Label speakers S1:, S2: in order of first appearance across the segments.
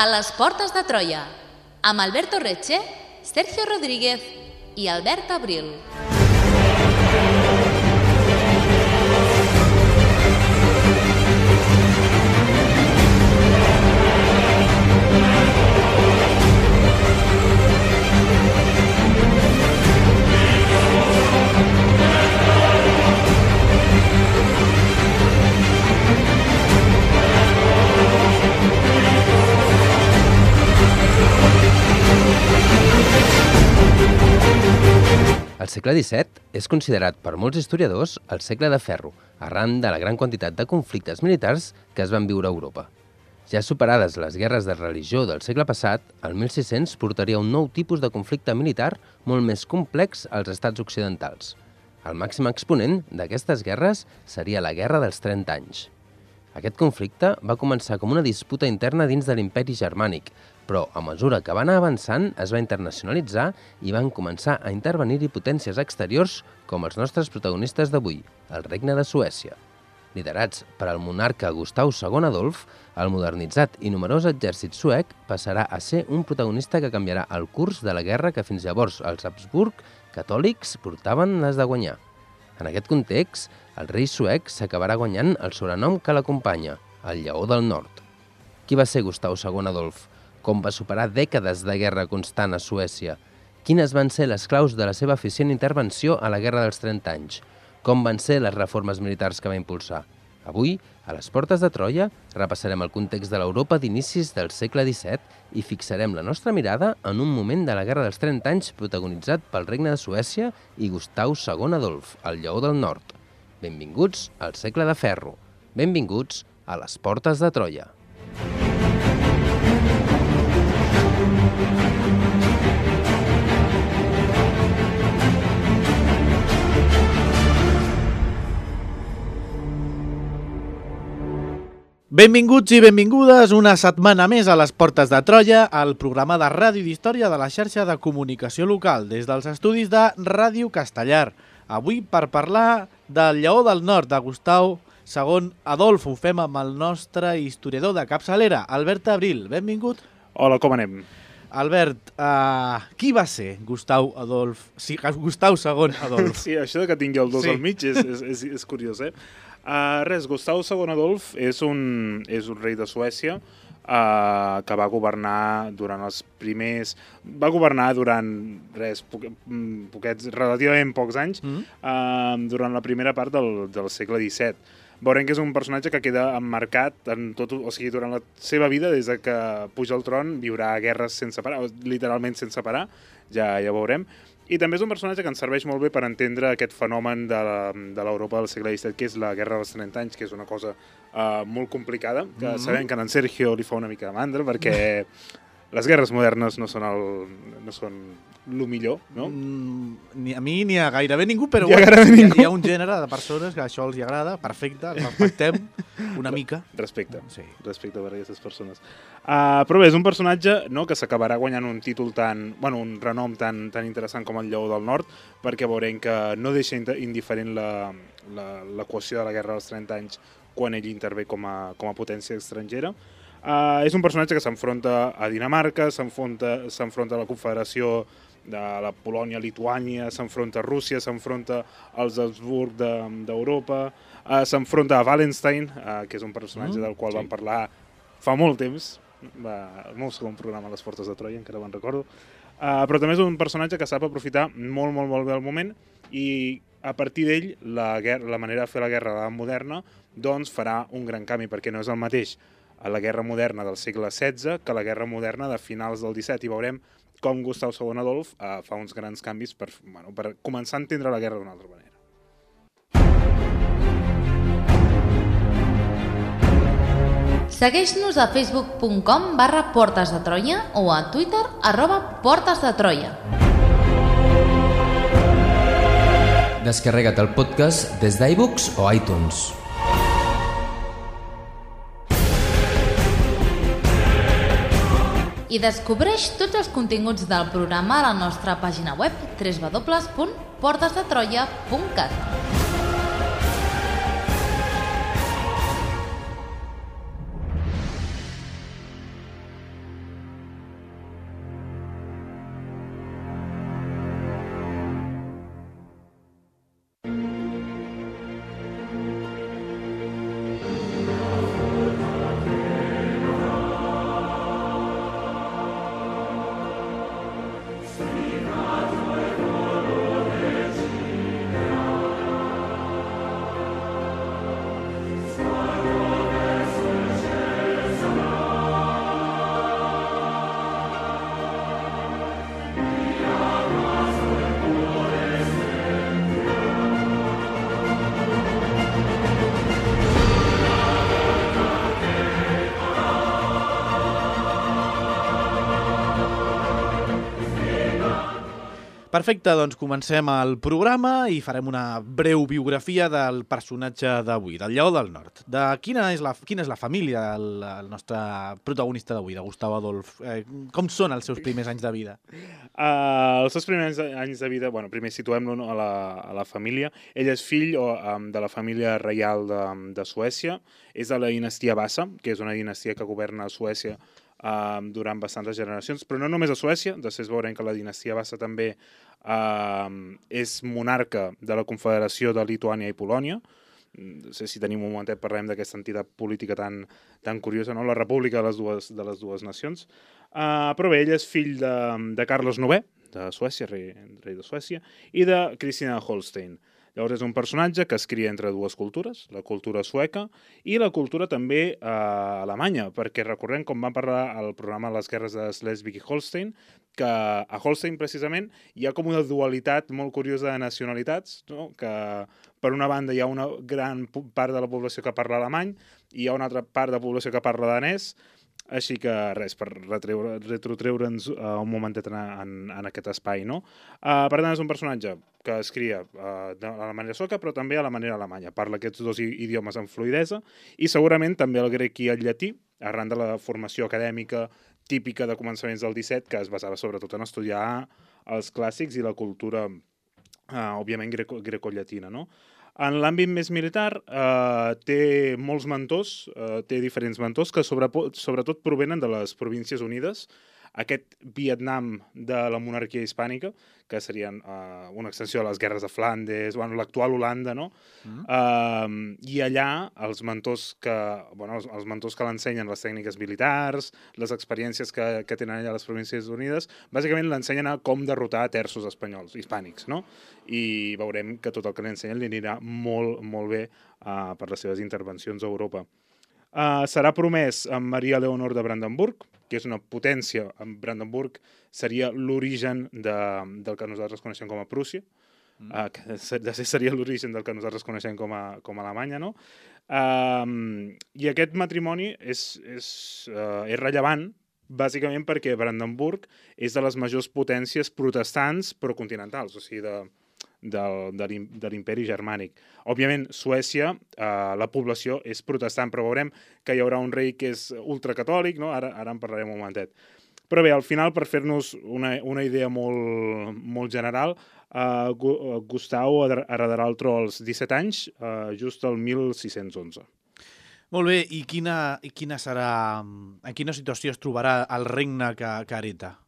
S1: A les portes de Troia, amb Alberto Reche, Sergio Rodríguez i Albert Abril.
S2: El segle XVII és considerat per molts historiadors el segle de ferro, arran de la gran quantitat de conflictes militars que es van viure a Europa. Ja superades les guerres de religió del segle passat, el 1600 portaria un nou tipus de conflicte militar molt més complex als estats occidentals. El màxim exponent d'aquestes guerres seria la Guerra dels 30 anys. Aquest conflicte va començar com una disputa interna dins de l'imperi germànic, però a mesura que va anar avançant es va internacionalitzar i van començar a intervenir-hi potències exteriors com els nostres protagonistes d'avui, el Regne de Suècia. Liderats per el monarca Gustav II Adolf, el modernitzat i numerós exèrcit suec passarà a ser un protagonista que canviarà el curs de la guerra que fins llavors els Habsburg catòlics portaven les de guanyar. En aquest context, el rei suec s'acabarà guanyant el sobrenom que l'acompanya, el Lleó del Nord. Qui va ser Gustav II Adolf? Com va superar dècades de guerra constant a Suècia? Quines van ser les claus de la seva eficient intervenció a la Guerra dels 30 anys? Com van ser les reformes militars que va impulsar? Avui, a les portes de Troia, repassarem el context de l'Europa d'inicis del segle XVII i fixarem la nostra mirada en un moment de la Guerra dels 30 anys protagonitzat pel Regne de Suècia i Gustav II Adolf, el Lleó del Nord. Benvinguts al segle de ferro. Benvinguts a les portes de Troia.
S3: Benvinguts i benvingudes una setmana més a les Portes de Troia, el programa de ràdio i d'història de la xarxa de comunicació local, des dels estudis de Ràdio Castellar. Avui per parlar del Lleó del Nord, de Gustav II Adolf. Ho fem amb el nostre historiador de capçalera, Albert Abril. Benvingut.
S4: Hola, com anem?
S3: Albert, qui va ser Gustav II Adolf?
S4: Sí, això que tingui el 2 al mig és curiós, Gustav II Adolf és un rei de Suècia que va governar durant els primers... Va governar durant relativament pocs anys, durant la primera part del segle XVII. Veurem que és un personatge que queda emmarcat en tot, o sigui, durant la seva vida, des que puja al tron, viurà guerres sense parar, literalment sense parar, ja veurem. I també és un personatge que ens serveix molt bé per entendre aquest fenomen de l'Europa del segle XVII, que és la Guerra dels 30 anys, que és una cosa molt complicada, que sabem que en Sergio li fa una mica de mandra, perquè les guerres modernes no són el millor, no?
S3: Ni a mi ni a gairebé ningú, però
S4: hi ha
S3: un gènere de persones que això els agrada, perfecte, els respectem una mica.
S4: Respecte per aquestes persones.
S3: Però
S4: bé, és un personatge que s'acabarà guanyant un títol un renom tan interessant com el Lleó del Nord, perquè veurem que no deixa indiferent l'equació de la Guerra dels 30 anys quan ell intervé com a potència estrangera. És un personatge que s'enfronta a Dinamarca, s'enfronta a la Confederació de la Polònia-Lituània, s'enfronta a Rússia, s'enfronta als Habsburg d'Europa, s'enfronta a Wallenstein, que és un personatge del qual vam parlar fa molt temps, el meu segon programa a les Portes de Troia, encara me'n recordo, però també és un personatge que sap aprofitar molt, molt, molt bé el moment i a partir d'ell la manera de fer la guerra moderna doncs farà un gran canvi, perquè no és el mateix a la guerra moderna del segle XVI que la guerra moderna de finals del XVII, i veurem com Gustav II Adolf fa uns grans canvis per començar a entendre la guerra d'una altra manera.
S1: Segueix-nos a facebook.com/Portes de Troia o a Twitter @PortesDeTroia.
S2: Descarrega't el podcast des d'iBooks o iTunes.
S1: I descobreix tots els continguts del programa a la nostra pàgina web www.portesdetroia.cat.
S3: Perfecte, doncs comencem el programa i farem una breu biografia del personatge d'avui, del Lleó del Nord. Quina és la família del nostre protagonista d'avui, de Gustau Adolf? Com són els seus primers anys de vida?
S4: Els seus primers anys de vida, primer situem-lo a la família. Ell és fill de la família reial de Suècia. És de la dinastia Vasa, que és una dinastia que governa Suècia durant bastantes generacions, però no només a Suècia. Després veurem que la dinastia Vasa també és monarca de la Confederació de Lituània i Polònia. No sé si tenim un momentet, parlem d'aquesta entitat política tan curiosa, no? La república de les dues nacions. Però bé, ell és fill de Carles IX, de Suècia, rei de Suècia, i de Cristina de Holstein. Llavors és un personatge que es cria entre dues cultures, la cultura sueca i la cultura també alemanya, perquè recordem com vam parlar al programa Les guerres de Schleswig i Holstein, que a Holstein precisament hi ha com una dualitat molt curiosa de nacionalitats, no? Que per una banda hi ha una gran part de la població que parla alemany i hi ha una altra part de la població que parla danès. Així que res, per retrotreure'ns un momentet en aquest espai, no? Per tant, és un personatge que es cria de la manera sueca, però també a la manera alemanya. Parla aquests dos idiomes amb fluïdesa i segurament també el grec i el llatí, arran de la formació acadèmica típica de començaments del 17, que es basava sobretot en estudiar els clàssics i la cultura, òbviament, grecollatina, no? En l'àmbit més militar té molts mentors, té diferents mentors que sobretot provenen de les Províncies Unides, aquest Vietnam de la monarquia hispànica, que serien una extensió de les guerres de Flandes, l'actual Holanda, no? I allà els mentors que l'ensenyen les tècniques militars, les experiències que tenen allà les Províncies Unides, bàsicament l'ensenyen a com derrotar terços espanyols, hispànics, no? I veurem que tot el que l'ensenyen li anirà molt, molt bé per les seves intervencions a Europa. Serà promès amb Maria Leonor de Brandenburg, que és una potència. Brandenburg seria l'origen del que nosaltres coneixem com a Prússia, que seria l'origen del que nosaltres coneixem com a Alemanya, no? I aquest matrimoni és rellevant, bàsicament perquè Brandenburg és de les majors potències protestants però continentals, o sigui, de l'imperi germànic. Òbviament, Suècia, la població és protestant, però veurem que hi haurà un rei que és ultracatòlic, no? Ara en parlarem un momentet. Però bé, al final, per fer-nos una idea molt, molt general, Gustau heredarà el tro als 17 anys, just el 1611.
S3: Molt bé, i en quina situació es trobarà el regne que hereta?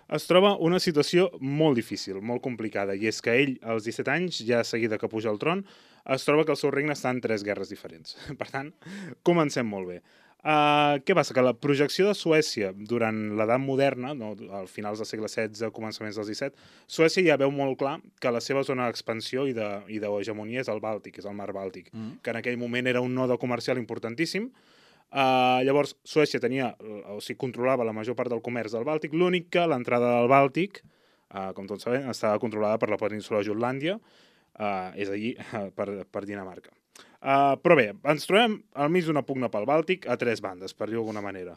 S4: Es troba una situació molt difícil, molt complicada, i és que ell, als 17 anys, ja seguida que puja al tron, es troba que el seu regne està en 3 guerres diferents. Per tant, comencem molt bé. Què passa? Que la projecció de Suècia durant l'edat moderna, no, al finals del segle XVI, començaments del XVII, Suècia ja veu molt clar que la seva zona d'expansió i d'hegemonia és el Bàltic, és el mar Bàltic, que en aquell moment era un node comercial importantíssim. Llavors, Suècia controlava la major part del comerç del Bàltic, l'únic que l'entrada del Bàltic, com tots sabem, estava controlada per la península de Jutlàndia, és allí per Dinamarca. Però bé, ens trobem al mig d'una pugna pel Bàltic a 3 bandes, per dir-ho d'alguna manera.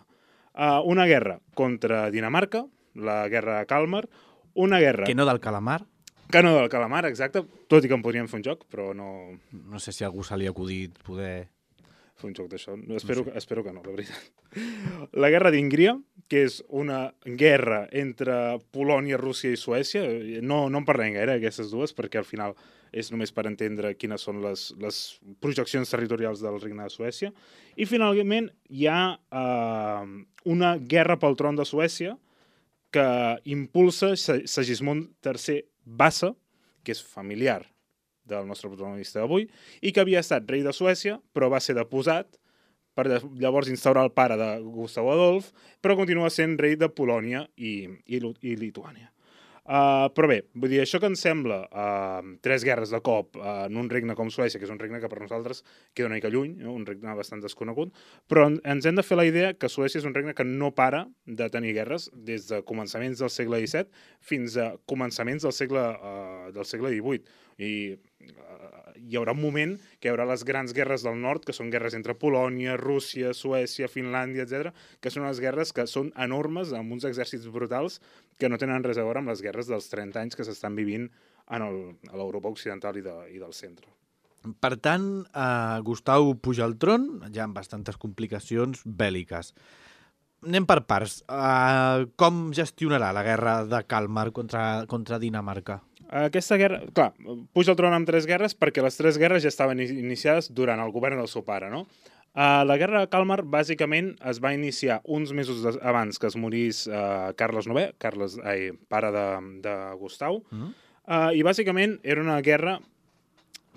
S4: Una guerra contra Dinamarca, la guerra de Kalmar, una guerra...
S3: Que no del calamar?
S4: Que no del calamar, exacte, tot i que en podríem fer un joc, però no...
S3: No sé si a algú se li ha acudit poder...
S4: fer un joc d'això. Espero que no, la veritat. La guerra d'Íngria, que és una guerra entre Polònia, Rússia i Suècia. No en parlem gaire, aquestes dues, perquè al final és només per entendre quines són les projeccions territorials del Regne de Suècia. I finalment hi ha una guerra pel tron de Suècia que impulsa Segismund III Vasa, que és familiar del nostre protagonista d'avui, i que havia estat rei de Suècia, però va ser deposat per llavors instaurar el pare de Gustav Adolf, però continua sent rei de Polònia i Lituània. Però bé, vull dir, això que ens sembla 3 guerres de cop en un regne com Suècia, que és un regne que per nosaltres queda una mica lluny, un regne bastant desconegut, però ens hem de fer la idea que Suècia és un regne que no para de tenir guerres des de començaments del segle XVII fins a començaments del segle XVIII. I hi haurà un moment que hi haurà les grans guerres del nord, que són guerres entre Polònia, Rússia, Suècia, Finlàndia, etc., que són unes guerres que són enormes, amb uns exèrcits brutals que no tenen res a veure amb les guerres dels 30 anys que s'estan vivint a l'Europa occidental i del centre.
S3: Per tant, Gustav puja al tron, ja amb bastantes complicacions bèl·liques. Anem per parts. Com gestionarà la guerra de Kalmar contra Dinamarca?
S4: Aquesta guerra, clar, puja al tron amb 3 guerres perquè les 3 guerres ja estaven iniciades durant el govern del seu pare, no? La guerra de Kalmar, bàsicament, es va iniciar uns mesos abans que es morís Carles IX, pare de Gustav, i bàsicament era una guerra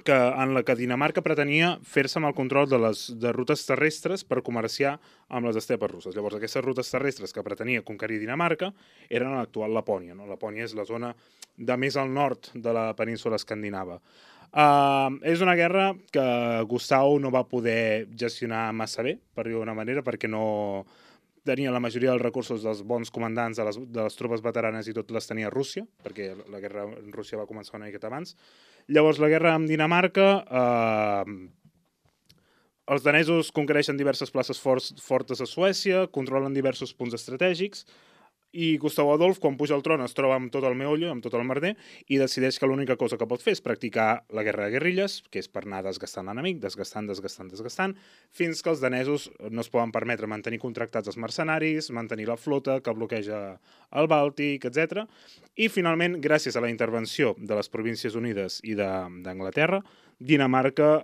S4: en la que Dinamarca pretenia fer-se amb el control de rutes terrestres per comerciar amb les estepes russes. Llavors, aquestes rutes terrestres que pretenia conquerir Dinamarca eren a l'actual Lapònia. Lapònia és la zona de més al nord de la península escandinava. És una guerra que Gustav no va poder gestionar massa bé, per dir-ho d'una manera, perquè no tenia la majoria dels recursos dels bons comandants de les tropes veteranes i tot les tenia Rússia, perquè la guerra en Rússia va començar una miqueta abans. Llavors, la guerra amb Dinamarca, els danesos conquereixen diverses places fortes a Suècia, controlen diversos punts estratègics, i Gustav Adolf, quan puja al tron, es troba amb tot el meollo, amb tot el merder, i decideix que l'única cosa que pot fer és practicar la guerra de guerrilles, que és per anar desgastant l'enemic, desgastant, fins que els danesos no es poden permetre mantenir contractats els mercenaris, mantenir la flota que bloqueja el Bàltic, etc. I finalment, gràcies a la intervenció de les Províncies Unides i d'Anglaterra, Dinamarca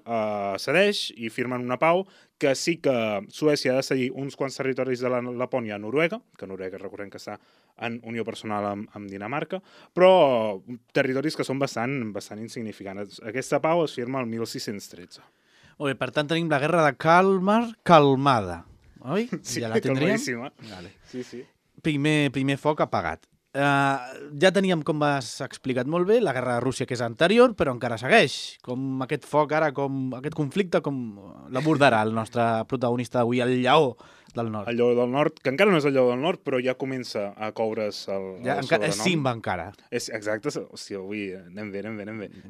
S4: cedeix i firmen una pau que sí que Suècia ha de cedir uns quants territoris de la Lapònia a Noruega, que Noruega recordem que està en unió personal amb Dinamarca, però territoris que són bastant insignificants. Aquesta pau es firma el 1613.
S3: Bé, per tant, tenim la guerra de Kalmar calmada, oi?
S4: Sí,
S3: ja la tindríem?
S4: calmadíssima.
S3: Vale.
S4: Sí.
S3: Primer foc apagat. Ja teníem, com has explicat molt bé, la guerra de Rússia, que és anterior, però encara segueix. Com aquest foc ara, aquest conflicte, com l'abordarà el nostre protagonista d'avui, el lleó del nord.
S4: El lleó del nord, que encara no és el lleó del nord, però ja comença a coure's el sobrenom.
S3: És Simba encara.
S4: Exacte. Hòstia, avui anem bé.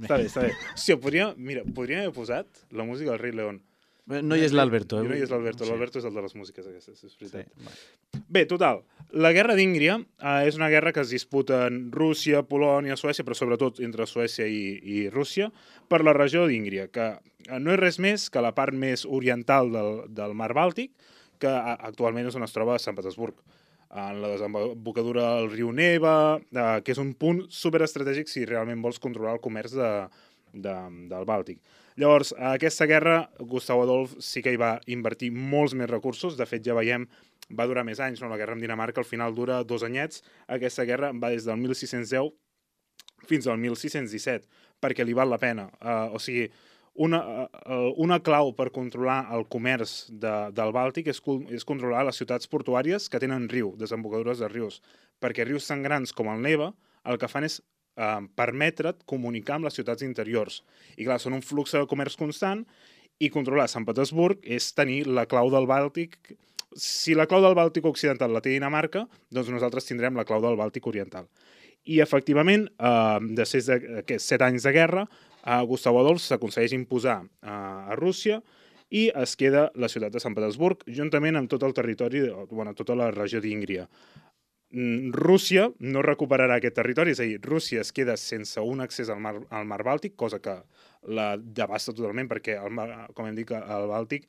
S4: Està bé. Hòstia, podríem haver posat la música del Rei León.
S3: No hi és l'Alberto.
S4: No hi és l'Alberto, l'Alberto és el de les músiques aquestes, és veritat.
S3: Sí.
S4: Bé, total, la guerra d'Íngria és una guerra que es disputa en Rússia, Polònia, Suècia, però sobretot entre Suècia i Rússia, per la regió d'Íngria, que no és res més que la part més oriental del mar Bàltic, que actualment és on es troba Sant Petersburg, en la desembocadura del riu Neva, que és un punt superestratègic si realment vols controlar el comerç del Bàltic. Llavors, a aquesta guerra, Gustav Adolf sí que hi va invertir molts més recursos. De fet, ja veiem, va durar més anys, no? La guerra amb Dinamarca al final dura 2 anyets. Aquesta guerra va des del 1610 fins al 1617, perquè li val la pena. O sigui, una clau per controlar el comerç del Bàltic és controlar les ciutats portuàries que tenen riu, desembocadures de rius, perquè rius tan grans com el Neva el que fan és permetre't comunicar amb les ciutats interiors. I clar, són un flux de comerç constant i controlar Sant Petersburg és tenir la clau del Bàltic. Si la clau del Bàltic occidental la té Dinamarca, doncs nosaltres tindrem la clau del Bàltic oriental. I efectivament, després d'aquests 7 anys de guerra, Gustav Adolf s'aconsegueix imposar a Rússia i es queda la ciutat de Sant Petersburg, juntament amb tot el territori, tota la regió d'Íngria. Rússia no recuperarà aquest territori, és a dir, Rússia es queda sense un accés al mar Bàltic, cosa que la devasta totalment, perquè, com hem dit, el Bàltic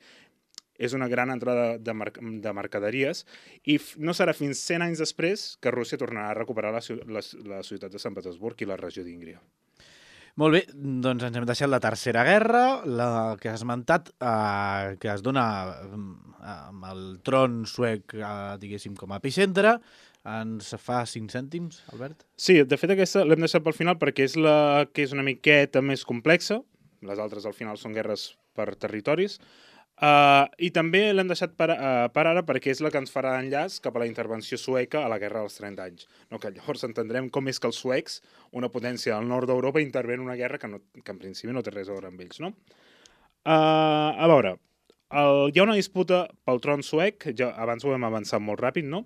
S4: és una gran entrada de mercaderies i no serà fins 100 anys després que Rússia tornarà a recuperar la ciutat de Sant Petersburg i la regió d'Íngria.
S3: Molt bé, doncs ens hem deixat la Tercera Guerra, la que has esmentat, que es dona amb el tron suec, diguéssim, com a epicentre. Ens fa 5 cèntims, Albert?
S4: Sí, de fet aquesta l'hem deixat pel final perquè és la que és una miqueta més complexa. Les altres al final són guerres per territoris. I també l'hem deixat per ara perquè és la que ens farà enllaç cap a la intervenció sueca a la Guerra dels 30 anys. No, que llavors entendrem com és que els suecs, una potència del nord d'Europa, intervé en una guerra que en principi no té res a veure amb ells. No? A veure, hi ha una disputa pel tron suec, ja abans ho hem avançat molt ràpid, no?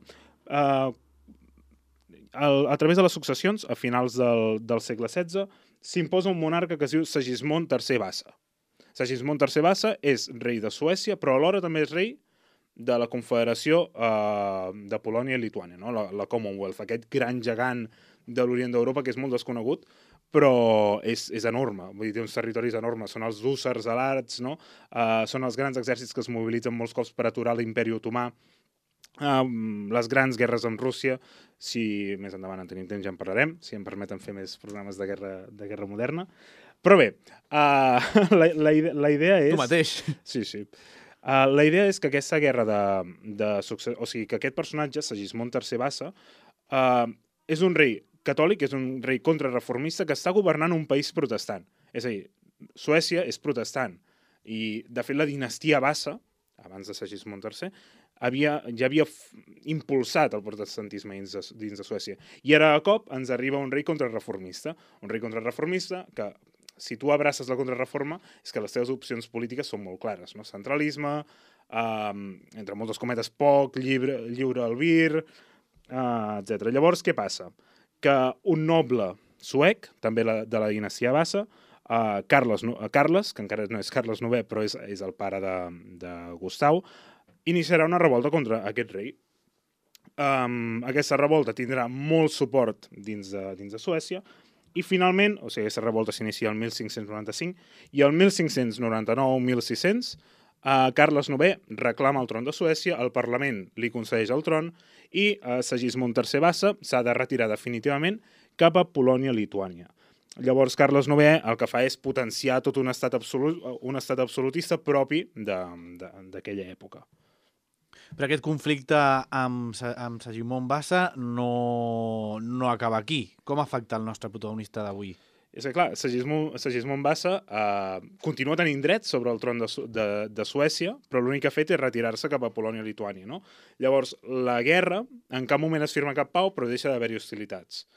S4: A través de les successions, a finals del segle XVI, s'imposa un monarca que es diu Segismund III Vasa. Segismund III Vasa és rei de Suècia, però alhora també és rei de la Confederació de Polònia i Lituània, no? La Commonwealth, aquest gran gegant de l'Orient d'Europa que és molt desconegut, però és enorme, vull dir, té uns territoris enormes, són els hússars alats, no? Són els grans exèrcits que es mobilitzen molts cops per aturar l'imperi otomà, les grans guerres amb Rússia, si més endavant en tenim temps ja en parlarem, si em permeten fer més programes de guerra moderna. Però bé, la idea és...
S3: Tu mateix.
S4: Sí. La idea és que aquesta guerra de successió, o sigui, que aquest personatge, Segismund III Vasa, és un rei catòlic, és un rei contrarreformista que està governant un país protestant. És a dir, Suècia és protestant. I, de fet, la dinastia Vasa, abans de Segismund III, ja havia impulsat el protestantisme dins de Suècia. I ara, a cop, ens arriba un rei contrarreformista. Un rei contrarreformista que, si tu abraces la contrarreforma, és que les teves opcions polítiques són molt clares, no? Centralisme, entre moltes cometes, poc, lliure albir, etc. Llavors, què passa? Que un noble suec, també de la dinastia Vasa, Carles, que encara no és Carles IX, però és el pare de Gustau, iniciarà una revolta contra aquest rei. Aquesta revolta tindrà molt suport dins de Suècia i finalment, o sigui, aquesta revolta s'inicia el 1595 i el 1599-1600 Carles IX reclama el tron de Suècia, el Parlament li concedeix el tron i Segismund III Vasa s'ha de retirar definitivament cap a Polònia-Lituània. Llavors, Carles IX el que fa és potenciar tot un estat absolutista propi d'aquella època.
S3: Però aquest conflicte amb Segismund Vasa no acaba aquí. Com afecta el nostre protagonista d'avui?
S4: És que, clar, Segismund Vasa continua tenint dret sobre el tron de Suècia, però l'únic que ha fet és retirar-se cap a Polònia-Lituània, no? Llavors, la guerra en cap moment es firma cap pau, però deixa d'haver-hi hostilitats.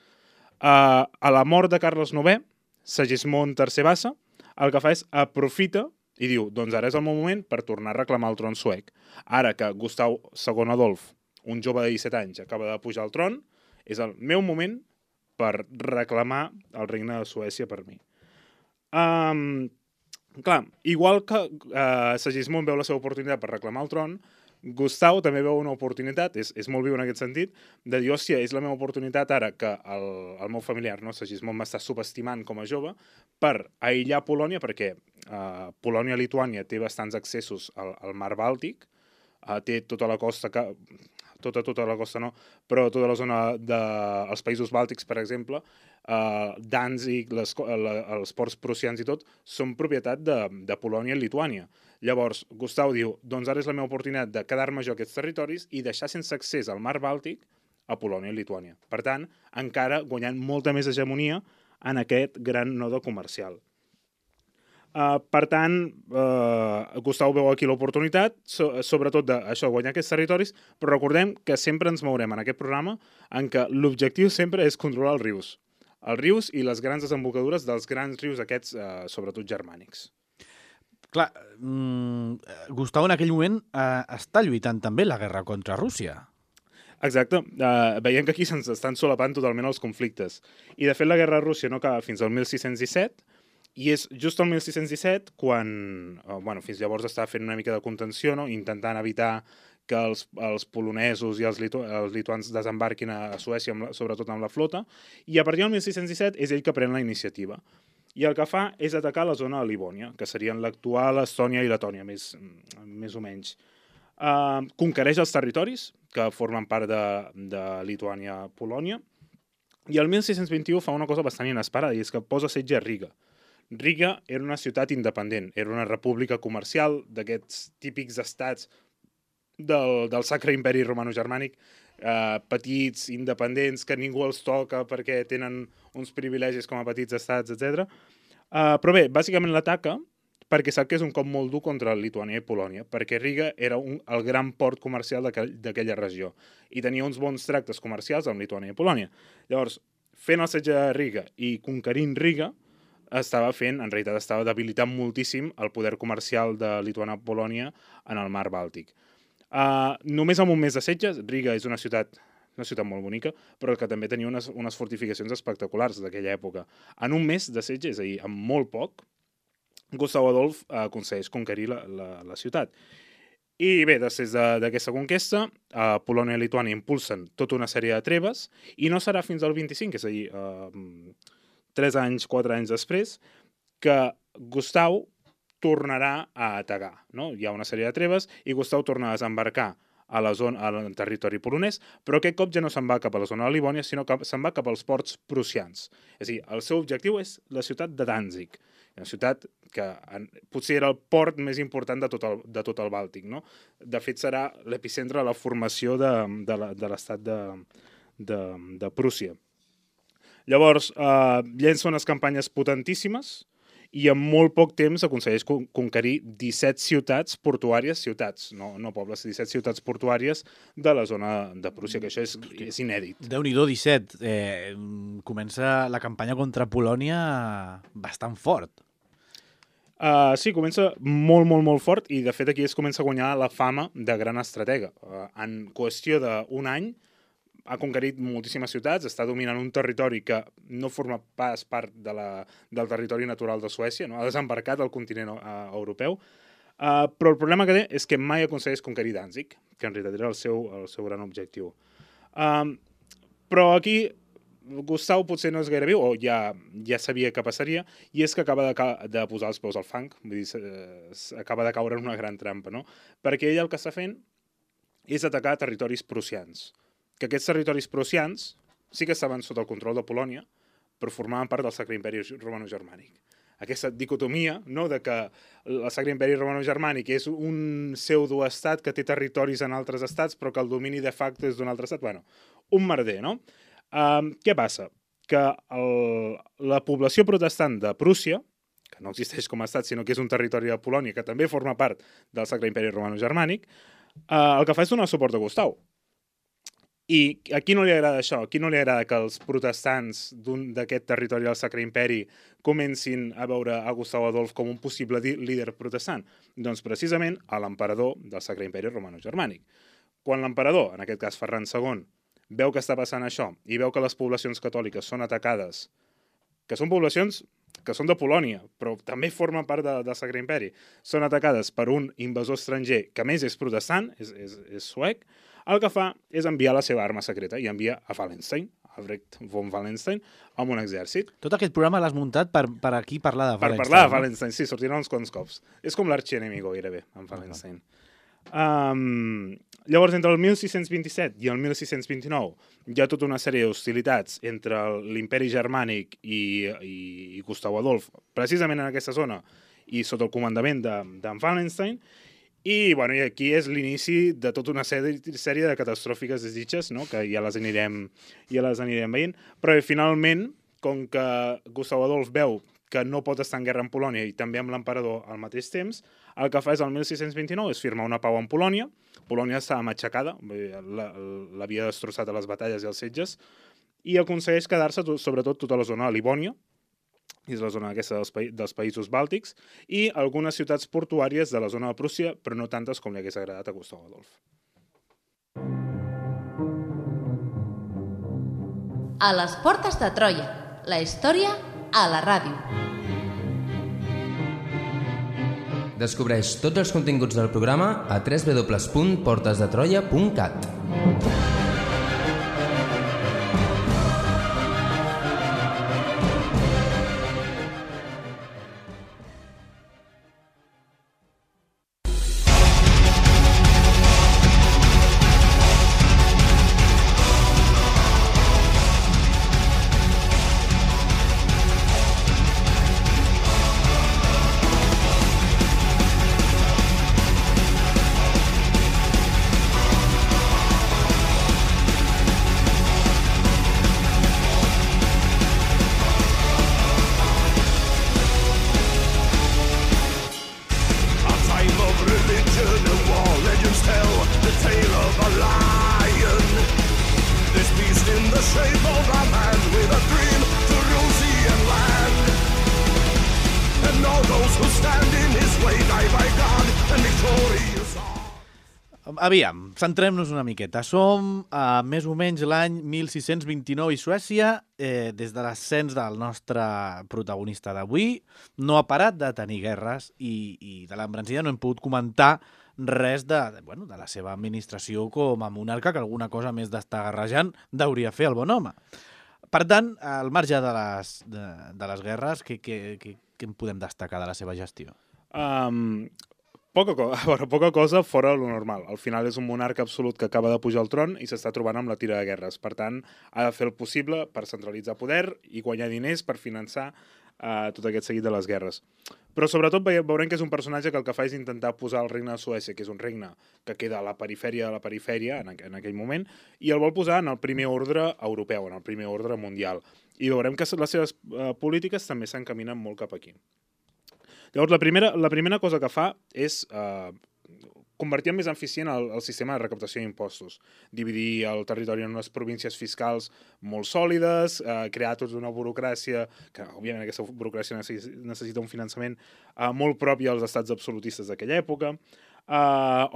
S4: A la mort de Carles IX, Segismund III Vasa el que fa és aprofita i diu, doncs ara és el meu moment per tornar a reclamar el tron suec. Ara que Gustau II Adolf, un jove de 17 anys, acaba de pujar al tron, és el meu moment per reclamar el regne de Suècia per mi. Clar, igual que Segismund veu la seva oportunitat per reclamar el tron, Gustau també veu una oportunitat, és molt viu en aquest sentit, de dir, hòstia, és la meva oportunitat ara que el meu familiar, no, Segismund, m'està subestimant com a jove, per aïllar Polònia, perquè Polònia-Lituània té bastants accessos al mar Bàltic, té tota la costa, tota la costa no, però tota la zona dels països bàltics, per exemple, Danzig, els ports prussians i tot, són propietat de Polònia i Lituània. Llavors, Gustau diu, doncs ara és la meva oportunitat de quedar-me jo a aquests territoris i deixar sense accés al mar Bàltic a Polònia i Lituània. Per tant, encara guanyant molta més hegemonia en aquest gran node comercial. Per tant, Gustau veu aquí l'oportunitat, sobretot d'això, guanyar aquests territoris, però recordem que sempre ens mourem en aquest programa en què l'objectiu sempre és controlar els rius i les grans desembocadures dels grans rius aquests, sobretot germànics.
S3: Clar, Gustau en aquell moment està lluitant també la guerra contra Rússia.
S4: Exacte. Veiem que aquí se'ns estan solapant totalment els conflictes. I, de fet, la guerra a Rússia no acaba fins al 1617, i és just el 1617 quan, fins llavors estava fent una mica de contenció, no? Intentant evitar que els polonesos i els lituans desembarquin a Suècia, sobretot amb la flota, i a partir del 1617 és ell que pren la iniciativa. i el que fa és atacar la zona de Livònia, que serien l'actual Estònia i Letònia, més o menys. Conquereix els territoris que formen part de Lituània-Polònia, i el 1621 fa una cosa bastant inesperada, i és que posa setge a Riga. Riga era una ciutat independent, era una república comercial d'aquests típics estats del Sacre Imperi Romano-Germànic, petits, independents, que ningú els toca perquè tenen uns privilegis com a petits estats, etc. Però bé, bàsicament l'ataca perquè sap que és un cop molt dur contra Lituània i Polònia, perquè Riga era el gran port comercial d'aquella regió i tenia uns bons tractes comercials amb Lituània i Polònia. Llavors, fent el setge de Riga i conquerint Riga, en realitat estava debilitant moltíssim el poder comercial de Lituània-Polònia en el mar Bàltic. Només amb un mes de setge, Riga és una ciutat molt bonica, però que també tenia unes fortificacions espectaculars d'aquella època. En un mes de setge, és a dir, amb molt poc, Gustav Adolf aconsegueix conquerir la ciutat. I bé, després d'aquesta conquesta, Polònia i Lituània impulsen tota una sèrie de treves, i no serà fins al 25, és a dir, 4 anys després, que Gustav tornarà a atacar. No? Hi ha una sèrie de treves i Gustav torna a desembarcar al territori polonès, però aquest cop ja no se'n va cap a la zona de Livònia, sinó que se'n va cap als ports prussians. És a dir, el seu objectiu és la ciutat de Danzig, una ciutat que potser era el port més important de tot el Bàltic. No? De fet, serà l'epicentre de la formació de l'estat de Prússia. Llavors, llença unes campanyes potentíssimes i en molt poc temps aconsegueix conquerir 17 ciutats portuàries, no pobles, 17 ciutats portuàries de la zona de Prússia, que això és inèdit.
S3: Déu-n'hi-do, 17. Comença la campanya contra Polònia bastant fort.
S4: Sí, comença molt fort, i de fet aquí es comença a guanyar la fama de gran estratega. En qüestió d'un any ha conquerit moltíssimes ciutats, està dominant un territori que no forma pas part del territori natural de Suècia, no? Ha desembarcat al continent europeu, però el problema que té és que mai aconsegueix conquerir Danzig, que en realitat era el seu gran objectiu. Però aquí Gustav potser no és gaire viu, o ja sabia què passaria, i és que acaba de posar els peus al fang, vull dir, acaba de caure en una gran trampa, no? Perquè ell el que està fent és atacar territoris prussians, que aquests territoris prussians sí que estaven sota el control de Polònia, però formaven part del Sacre Imperi Romano-Germànic. Aquesta dicotomia, no?, de que el Sacre Imperi Romano-Germànic és un pseudoestat que té territoris en altres estats, però que el domini de facto és d'un altre estat. Bueno, un merder, no? Què passa? Que la població protestant de Prússia, que no existeix com a estat, sinó que és un territori de Polònia, que també forma part del Sacre Imperi Romano-Germànic, el que fa és donar suport a Gustav. I a qui no li agrada això? A qui no li agrada que els protestants d'aquest territori del Sacre Imperi comencin a veure a Gustav Adolf com un possible líder protestant? Doncs precisament a l'emperador del Sacre Imperi Romano-Germànic. Quan l'emperador, en aquest cas Ferran II, veu que està passant això i veu que les poblacions catòliques són atacades, que són poblacions que són de Polònia, però també formen part del Sacre Imperi, són atacades per un invasor estranger que a més és protestant, és suec, el que fa és enviar la seva arma secreta i envia a Wallenstein, Albrecht von Wallenstein, amb un exèrcit.
S3: Tot aquest programa l'has muntat per aquí parlar de Wallenstein.
S4: Per parlar de Wallenstein, sí, sortirà uns quants cops. És com l'arxienemigo, gairebé, amb Wallenstein. Llavors, entre el 1627 i el 1629 hi ha tota una sèrie d'hostilitats entre l'imperi germànic i Gustav Adolf, precisament en aquesta zona i sota el comandament d'en Wallenstein. I aquí és l'inici de tota una sèrie de catastròfiques desitges, no?, que ja les anirem veient, però finalment, com que Gustav Adolf veu que no pot estar en guerra amb Polònia i també amb l'emperador al mateix temps, el que fa és el 1629 és firmar una pau amb Polònia. Polònia estava matxacada, l'havia destrossat a les batalles i els setges, i aconsegueix quedar-se sobretot tota la zona de Livònia, és la zona aquesta dels països bàltics, i algunes ciutats portuàries de la zona de Prússia, però no tantes com li hagués agradat a Gustav Adolf.
S1: A les portes de Troia, la història a la ràdio.
S2: Descobreix tots els continguts del programa a www.portesdetroia.cat.
S5: the shape of a man with a dream to rule sea and land. And all those who stand in his way die by God and victorious are.
S3: Aviam, centrem-nos una miqueta. Som a més o menys l'any 1629 i Suècia, des de l'ascens del nostre protagonista d'avui, no ha parat de tenir guerres i de l'embranzida no hem pogut comentar res de la seva administració com a monarca, que alguna cosa més d'estar garrejant deuria fer el bon home. Per tant, al marge de les guerres, què en podem destacar de la seva gestió?
S4: Poca cosa fora lo normal. Al final és un monarca absolut que acaba de pujar al tron i s'està trobant amb la tira de guerres. Per tant, ha de fer el possible per centralitzar poder i guanyar diners per finançar tot aquest seguit de les guerres. Però sobretot veurem que és un personatge que el que fa és intentar posar el regne de Suècia, que és un regne que queda a la perifèria de la perifèria en aquell moment, i el vol posar en el primer ordre europeu, en el primer ordre mundial. I veurem que les seves polítiques també s'encaminen molt cap aquí. Llavors, la primera cosa que fa és convertir en més eficient el sistema de recaptació d'impostos, dividir el territori en unes províncies fiscals molt sòlides, crear tota una burocràcia, que òbviament aquesta burocràcia necessita un finançament molt propi als estats absolutistes d'aquella època.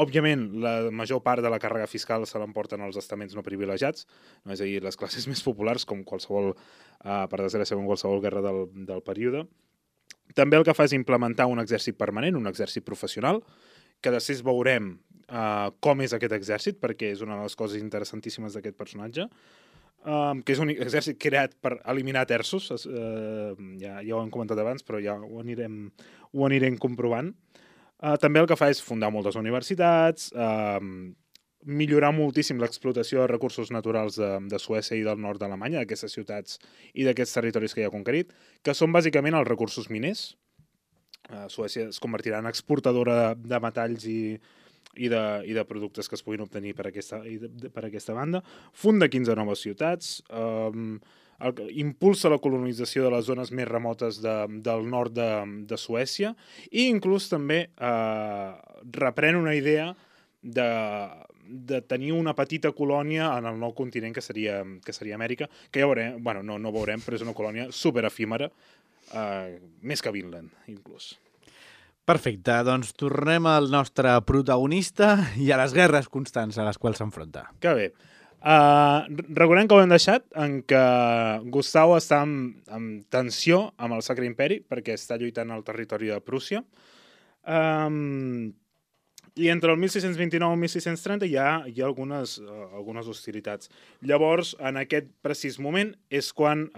S4: Òbviament, la major part de la càrrega fiscal se l'emporten els estaments no privilegiats, no? És a dir, les classes més populars, com qualsevol, per desgràcia, com qualsevol guerra del període. També el que fa és implementar un exèrcit permanent, un exèrcit professional, que després veurem com és aquest exèrcit, perquè és una de les coses interessantíssimes d'aquest personatge, que és un exèrcit creat per eliminar terços, ja ho hem comentat abans, però ja ho anirem comprovant. També el que fa és fundar moltes universitats, millorar moltíssim l'explotació de recursos naturals de Suècia i del nord d'Alemanya, d'aquestes ciutats i d'aquests territoris que ja ha conquerit, que són bàsicament els recursos miners. Suècia es convertirà en exportadora de metalls i de productes que es puguin obtenir per aquesta banda. Funda 15 noves ciutats, impulsa la colonització de les zones més remotes del nord de Suècia i inclús també reprèn una idea de tenir una petita colònia en el nou continent que seria Amèrica, que ja veurem, no veurem, però és una colònia superefímera, més que Vinland, inclús.
S3: Perfecte, doncs tornem al nostre protagonista i a les guerres constants a les quals s'enfronta.
S4: Que bé. Recordem que ho hem deixat en què Gustau està en tensió amb el Sacre Imperi perquè està lluitant al territori de Prússia. I entre el 1629 i el 1630 hi ha algunes hostilitats. Llavors, en aquest precís moment, és quan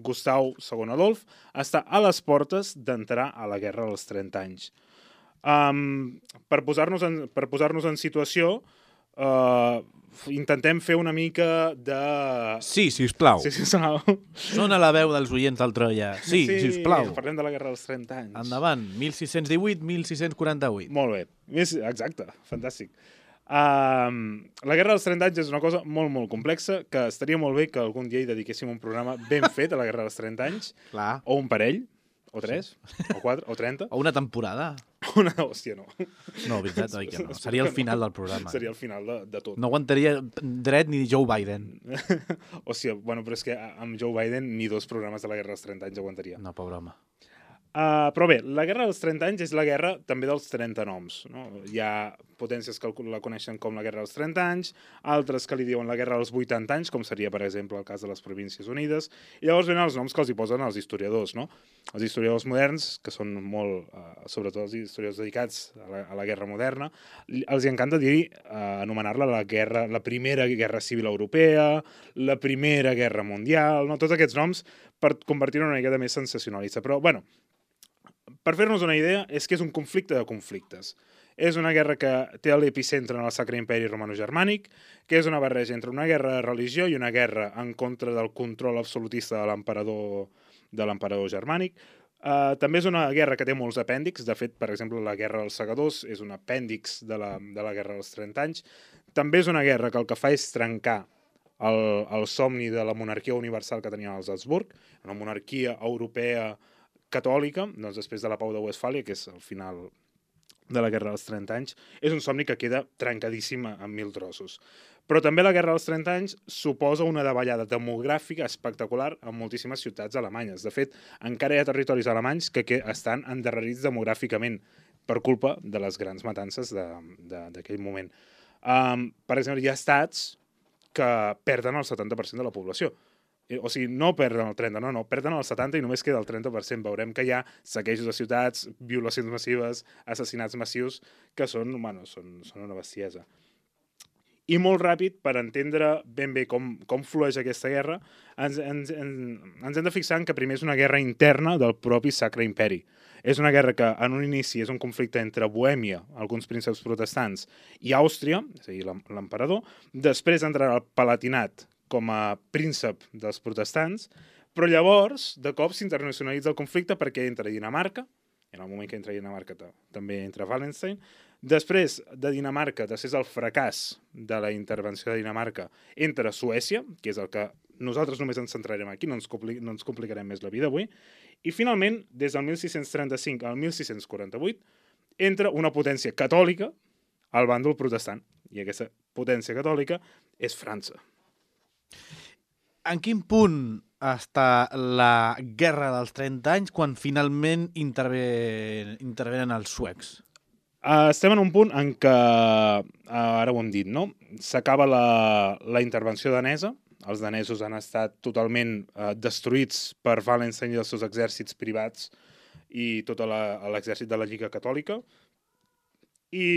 S4: Gustau II Adolf està a les portes d'entrar a la Guerra dels 30 anys. Per posar-nos en situació, intentem fer una mica de...
S3: Sí, sisplau.
S4: Sí, sisplau.
S3: Sona la veu dels oients del Troia. Sí, sisplau.
S4: Parlem de la Guerra dels 30 anys.
S3: Endavant, 1618-1648.
S4: Molt bé. Exacte, fantàstic. La Guerra dels 30 anys és una cosa molt, molt complexa, que estaria molt bé que algun dia hi dediquéssim un programa ben fet a la Guerra dels 30 anys.
S3: Clar.
S4: O un parell, o 3, o 4, o 30.
S3: O una temporada.
S4: Hòstia, no.
S3: No, veritat, oi que no. Seria el final del programa.
S4: Seria el final de tot.
S3: No aguantaria dret ni Joe Biden.
S4: Hòstia, bueno, però és que amb Joe Biden ni 2 programes de la Guerra dels 30 anys aguantaria.
S3: No, pobre home.
S4: Però bé, la Guerra dels 30 anys és la guerra també dels 30 noms. No? Hi ha potències que la coneixen com la Guerra dels 30 anys, altres que li diuen la Guerra dels 80 anys, com seria, per exemple, el cas de les Províncies Unides, i llavors venen els noms que els hi posen els historiadors. No? Els historiadors moderns, que són molt, sobretot els historiadors dedicats a la guerra moderna, els hi encanta anomenar-la la Primera Guerra Civil Europea, la Primera Guerra Mundial, no? Tots aquests noms per convertir-ho en una miqueta més sensacionalista. Però, bueno, per fer-nos una idea, és que és un conflicte de conflictes. És una guerra que té l'epicentre en el Sacre Imperi Romano-Germànic, que és una barreja entre una guerra de religió i una guerra en contra del control absolutista de l'emperador germànic. També és una guerra que té molts apèndixs. De fet, per exemple, la Guerra dels Segadors és un apèndix de la Guerra dels 30 anys. També és una guerra que el que fa és trencar el somni de la monarquia universal que tenien els Habsburg, una monarquia europea catòlica, doncs després de la Pau de Westfàlia, que és al final de la Guerra dels 30 anys, és un somni que queda trencadíssima en 1000 trossos. Però també la Guerra dels 30 anys suposa una davallada demogràfica espectacular en moltíssimes ciutats alemanyes. De fet, encara hi ha territoris alemanys que estan endarrerits demogràficament per culpa de les grans matances d'aquell moment. Per exemple, hi ha estats que perden el 70% de la població. O sigui, no perden el 30%, no, perden el 70% i només queda el 30%. Veurem que hi ha saquejos de ciutats, violacions massives, assassinats massius, que són una bestiesa. I molt ràpid, per entendre ben bé com flueix aquesta guerra, ens hem de fixar en que primer és una guerra interna del propi Sacre Imperi. És una guerra que en un inici és un conflicte entre Bohèmia, alguns prínceps protestants, i Àustria, és a dir, l'emperador. Després entrarà el Palatinat com a príncep dels protestants, però llavors, de cop, s'internacionalitza el conflicte perquè entra Dinamarca, en el moment que entra Dinamarca també entra Wallenstein. Després de Dinamarca, després del fracàs de la intervenció de Dinamarca, entra Suècia, que és el que nosaltres només ens centrarem aquí, no ens complicarem més la vida avui, i finalment, des del 1635 al 1648, entra una potència catòlica al bàndol protestant, i aquesta potència catòlica és França.
S3: En quin punt està la Guerra dels 30 anys quan finalment intervenen els suecs?
S4: Estem en un punt en què, ara ho hem dit, no? S'acaba la intervenció danesa, els danesos han estat totalment destruïts per Wallenstein i els seus exèrcits privats i tot l'exèrcit de la Lliga Catòlica, i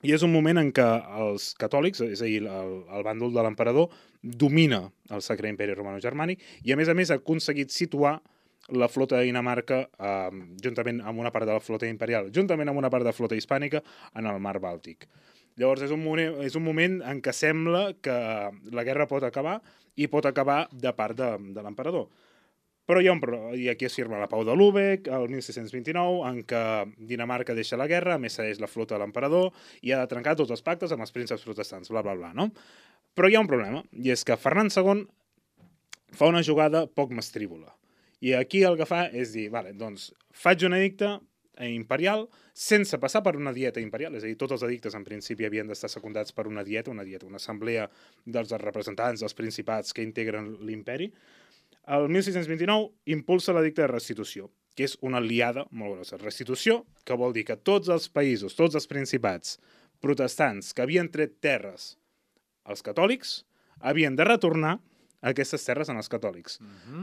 S4: és un moment en què els catòlics, és a dir, el bàndol de l'emperador, domina el Sacre Imperi Romano-Germànic i, a més, ha aconseguit situar la flota de Dinamarca juntament amb una part de la flota imperial, juntament amb una part de la flota hispànica en el mar Bàltic. Llavors és un moment en què sembla que la guerra pot acabar i pot acabar de part de l'emperador. Però i aquí es firma la Pau de Lübeck, el 1629, en què Dinamarca deixa la guerra, a més cedeix la flota de l'emperador i ha de trencar tots els pactes amb els prínceps protestants, bla, bla, bla, no? Però hi ha un problema, i és que Ferran II fa una jugada poc mastrívola. I aquí el que fa és dir, vale, doncs faig un edicte imperial sense passar per una dieta imperial, és a dir, tots els edictes en principi havien d'estar secundats per una assemblea dels representants dels principats que integren l'imperi. El 1629 impulsa l'edicte de restitució, que és una aliada molt grossa. Restitució, que vol dir que tots els països, tots els principats protestants que havien tret terres als catòlics, havien de retornar aquestes terres als catòlics.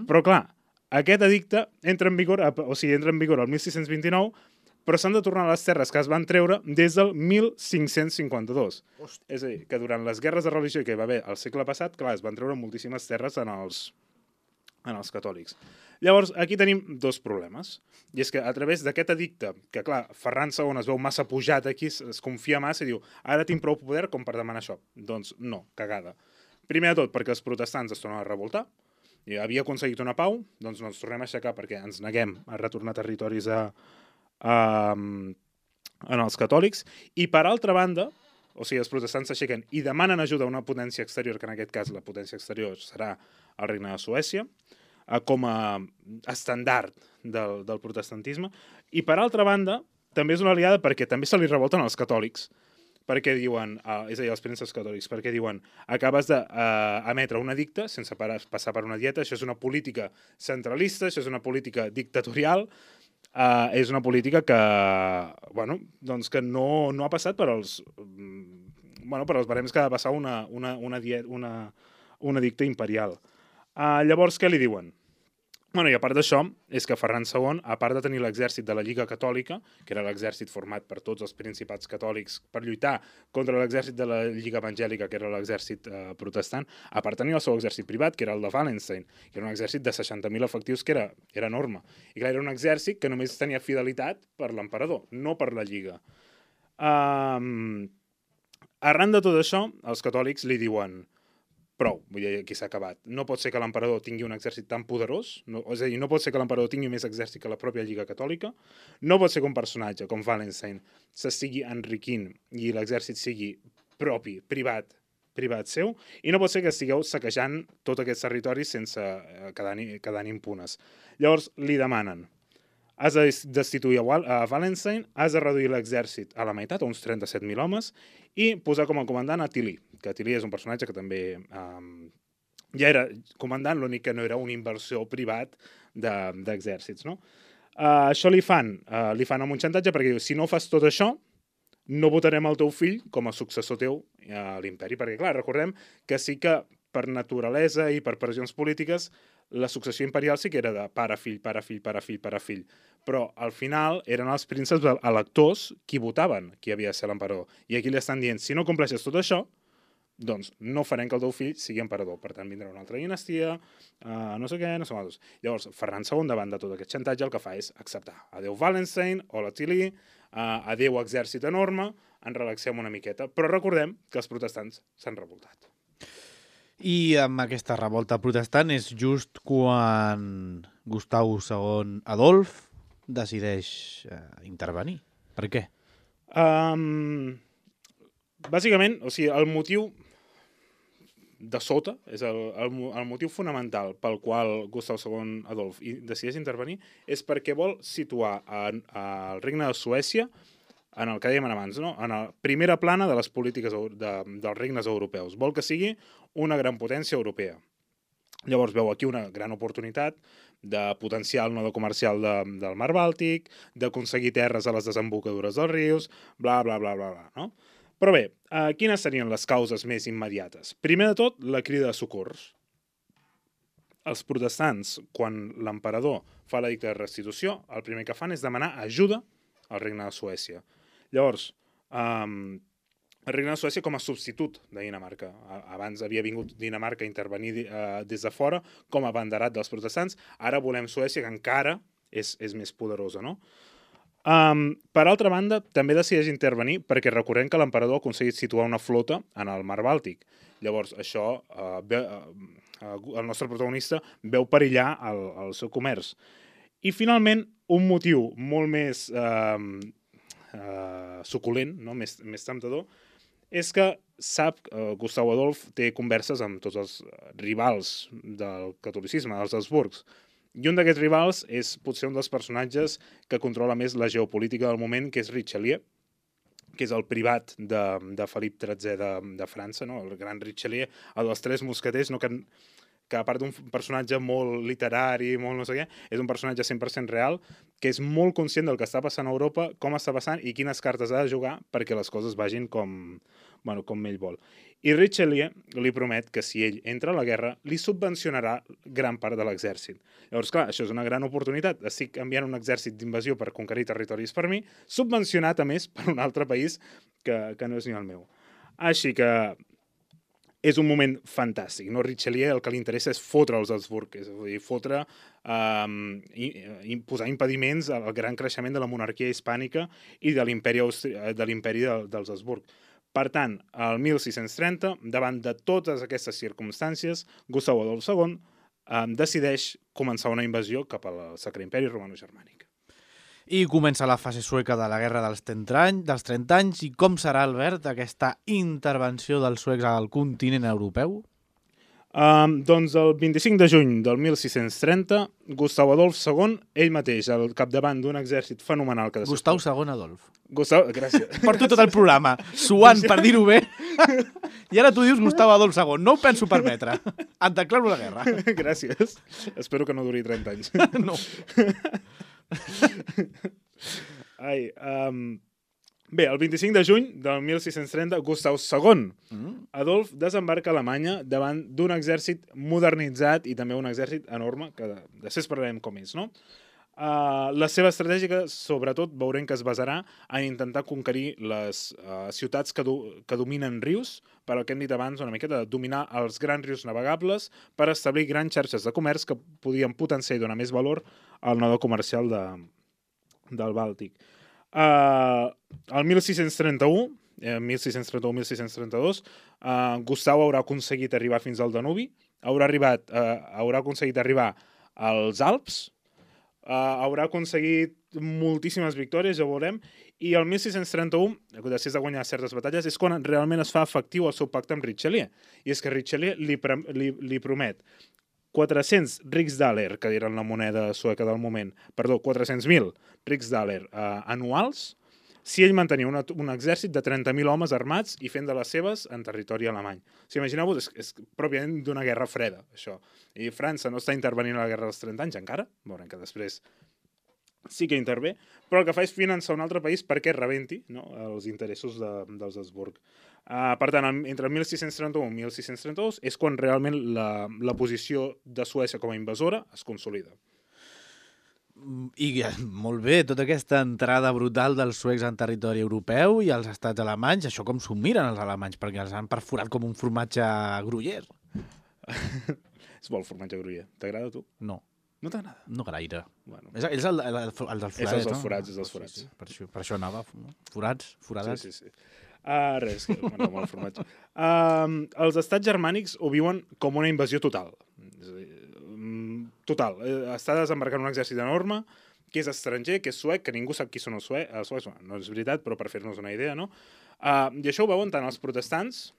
S4: Però clar, aquest edicte entra en vigor el 1629, però s'han de tornar a les terres que es van treure des del 1552. És a dir, que durant les guerres de religió que hi va haver al segle passat, clar, es van treure moltíssimes terres en els catòlics. Llavors, aquí tenim dos problemes. I és que a través d'aquest edicte, que clar, Ferran II es veu massa pujat aquí, es confia massa i diu, ara tinc prou poder com per demanar això. Doncs no, cagada. Primer de tot, perquè els protestants es tornen a revoltar, i havia aconseguit una pau, doncs no ens tornem a aixecar perquè ens neguem a retornar territoris en els catòlics, i per altra banda, o sigui, els protestants s'aixequen i demanen ajuda a una potència exterior, que en aquest cas la potència exterior serà el Regne de Suècia, com a estandard del protestantisme, i per altra banda, també és una aliada perquè també se li revolten els catòlics, perquè diuen, és a dir, els prínceps catòlics, perquè diuen, acabes d'emetre un edicte sense passar per una dieta, això és una política centralista, això és una política dictatorial, és una política que, bueno, doncs que no ha passat per els barems que ha de passar un edicte imperial. Llavors, què li diuen? Bueno, i a part d'això, és que Ferran II, a part de tenir l'exèrcit de la Lliga Catòlica, que era l'exèrcit format per tots els principats catòlics per lluitar contra l'exèrcit de la Lliga Evangèlica, que era l'exèrcit protestant, a part tenir el seu exèrcit privat, que era el de Wallenstein, que era un exèrcit de 60.000 efectius, que era enorme. I clar, era un exèrcit que només tenia fidelitat per l'emperador, no per la Lliga. Arran de tot això, els catòlics li diuen prou, vull dir, aquí s'ha acabat. No pot ser que l'emperador tingui un exèrcit tan poderós, és a dir, no pot ser que l'emperador tingui més exèrcit que la pròpia Lliga Catòlica, no pot ser que un personatge com Wallenstein s'estigui enriquint i l'exèrcit sigui propi, privat seu, i no pot ser que estigueu saquejant tots aquests territoris sense quedant impunes. Llavors, li demanen has de destituir a Wallenstein, has de reduir l'exèrcit a la meitat, a uns 37.000 homes, i posar com a comandant a Tilly, que Tilly és un personatge que també ja era comandant, l'únic que no era un inversor privat d'exèrcits, no? Això li fan amb un xantatge perquè diu, si no fas tot això, no votarem el teu fill com a successor teu a l'imperi, perquè clar, recordem que sí que per naturalesa i per pressions polítiques la successió imperial sí que era de pare, fill, pare, fill, pare, fill, pare, fill, però al final eren els prínceps electors qui votaven qui havia de ser l'emperador, i aquí li estan dient, si no compleixes tot això, doncs no farem que el teu fill sigui emperador, per tant vindrà una altra dinastia, no sé què, no sé què. Llavors, Ferran II, davant de tot aquest xantatge, el que fa és acceptar. Adéu Wallenstein, hola Tilly, adéu exèrcit enorme, ens relaxem una miqueta, però recordem que els protestants s'han revoltat.
S3: I amb aquesta revolta protestant és just quan Gustavus II Adolf decideix intervenir. Per què?
S4: Bàsicament, o sigui, el motiu de sota, és el motiu fonamental pel qual Gustav II Adolf decideix intervenir, és perquè vol situar el regne de Suècia en el que dèiem abans, no? En la primera plana de les polítiques dels regnes europeus. Vol que sigui una gran potència europea. Llavors veu aquí una gran oportunitat de potenciar el nodo comercial del Mar Bàltic, d'aconseguir terres a les desembocadures dels rius, bla, bla, bla, bla, bla, no? Però bé, quines serien les causes més immediates? Primer de tot, la crida de socors. Els protestants, quan l'emperador fa l'edicte de restitució, el primer que fan és demanar ajuda al regne de Suècia. Llavors, el regne de Suècia com a substitut de Dinamarca. Abans havia vingut Dinamarca a intervenir des de fora com a abanderat dels protestants. Ara volem Suècia, que encara és més poderosa, no? Per altra banda, també decideix intervenir perquè recordem que l'emperador ha aconseguit situar una flota en el Mar Bàltic. Llavors, això, el nostre protagonista veu perillar el seu comerç. I finalment, un motiu molt més suculent, no? més temptador, és que sap que Gustav Adolf té converses amb tots els rivals del catolicisme, els Habsburgs. I un d'aquests rivals és potser un dels personatges que controla més la geopolítica del moment, que és Richelieu, que és el privat de Felip XIII de França, no? El gran Richelieu, el dels tres mosqueters, no? Que a part d'un personatge molt literari, molt no sé què, és un personatge 100% real, que és molt conscient del que està passant a Europa, com està passant i quines cartes ha de jugar perquè les coses vagin com ell vol. I Richelieu li promet que si ell entra a la guerra, li subvencionarà gran part de l'exèrcit. Llavors, clar, això és una gran oportunitat. Estic enviant un exèrcit d'invasió per conquerir territoris per mi, subvencionat, a més, per un altre país que no és ni el meu. Així que és un moment fantàstic, no? Richelieu el que li interessa és fotre els Habsburg, és a dir, fotre, posar impediments al gran creixement de la monarquia hispànica i de l'imperi dels Habsburg. Per tant, el 1630, davant de totes aquestes circumstàncies, Gustav Adolf II decideix començar una invasió cap al Sacre Imperi Romano-Germànic.
S3: I comença la fase sueca de la Guerra dels 30 anys. I com serà, Albert, aquesta intervenció dels suecs al continent europeu?
S4: Doncs el 25 de juny del 1630, Gustav Adolf II, ell mateix, al capdavant d'un exèrcit fenomenal...
S3: Gustav II Adolf.
S4: Gràcies.
S3: Porto tot el programa, suant per dir-ho bé, i ara tu dius Gustav Adolf II. No ho penso permetre. Et declaro la guerra.
S4: Gràcies. Espero que no duri 30 anys.
S3: No.
S4: Bé, el 25 de juny del 1630, Gustav II Adolf desembarca a Alemanya davant d'un exèrcit modernitzat i també un exèrcit enorme, que després parlarem com és, no? La seva estratègia, sobretot, veurem que es basarà en intentar conquerir les ciutats que dominen rius, per al que hem dit abans una miqueta, de dominar els grans rius navegables per establir grans xarxes de comerç que podien potenciar i donar més valor al nodo comercial del Bàltic. El 1631, 1632, Gustav haurà aconseguit arribar fins al Danubi, haurà aconseguit arribar als Alps, haurà aconseguit moltíssimes victòries, ja veurem, i el 1631, després de guanyar certes batalles, és quan realment es fa efectiu el seu pacte amb Richelieu. I és que Richelieu li promet 400 riksdaler, que eren la moneda sueca del moment, 400.000 riksdaler anuals, si ell mantenia un exèrcit de 30.000 homes armats i fent de les seves en territori alemany. Si imagineu-vos, és pròpiament d'una guerra freda, això. I França no està intervenint a la guerra dels 30 anys encara, veurem que després sí que intervé, però el que fa és finançar un altre país perquè rebenti, no?, els interessos dels Habsburg. Per tant, entre el 1631 i 1632 és quan realment la posició de Suècia com a invasora es consolida.
S3: I molt bé, tota aquesta entrada brutal dels suecs en territori europeu i els estats alemanys, això com s'ho miren els alemanys, perquè els han perforat com un formatge gruyère.
S4: És bo el formatge gruyère. T'agrada a tu?
S3: No.
S4: No t'agrada?
S3: No gaire.
S4: Bueno.
S3: És el dels forats,
S4: És els
S3: no?
S4: forats, és els forats.
S3: Sí. Per això anava. Forats, foradats.
S4: Sí. Res, que m'agrada molt el formatge. Els estats germànics ho viuen com una invasió total. És a dir, total. Està desembarcant un exèrcit enorme, que és estranger, que és suec, que ningú sap qui són els suecs. No és veritat, però per fer-nos una idea, no? I això ho veuen tant els protestants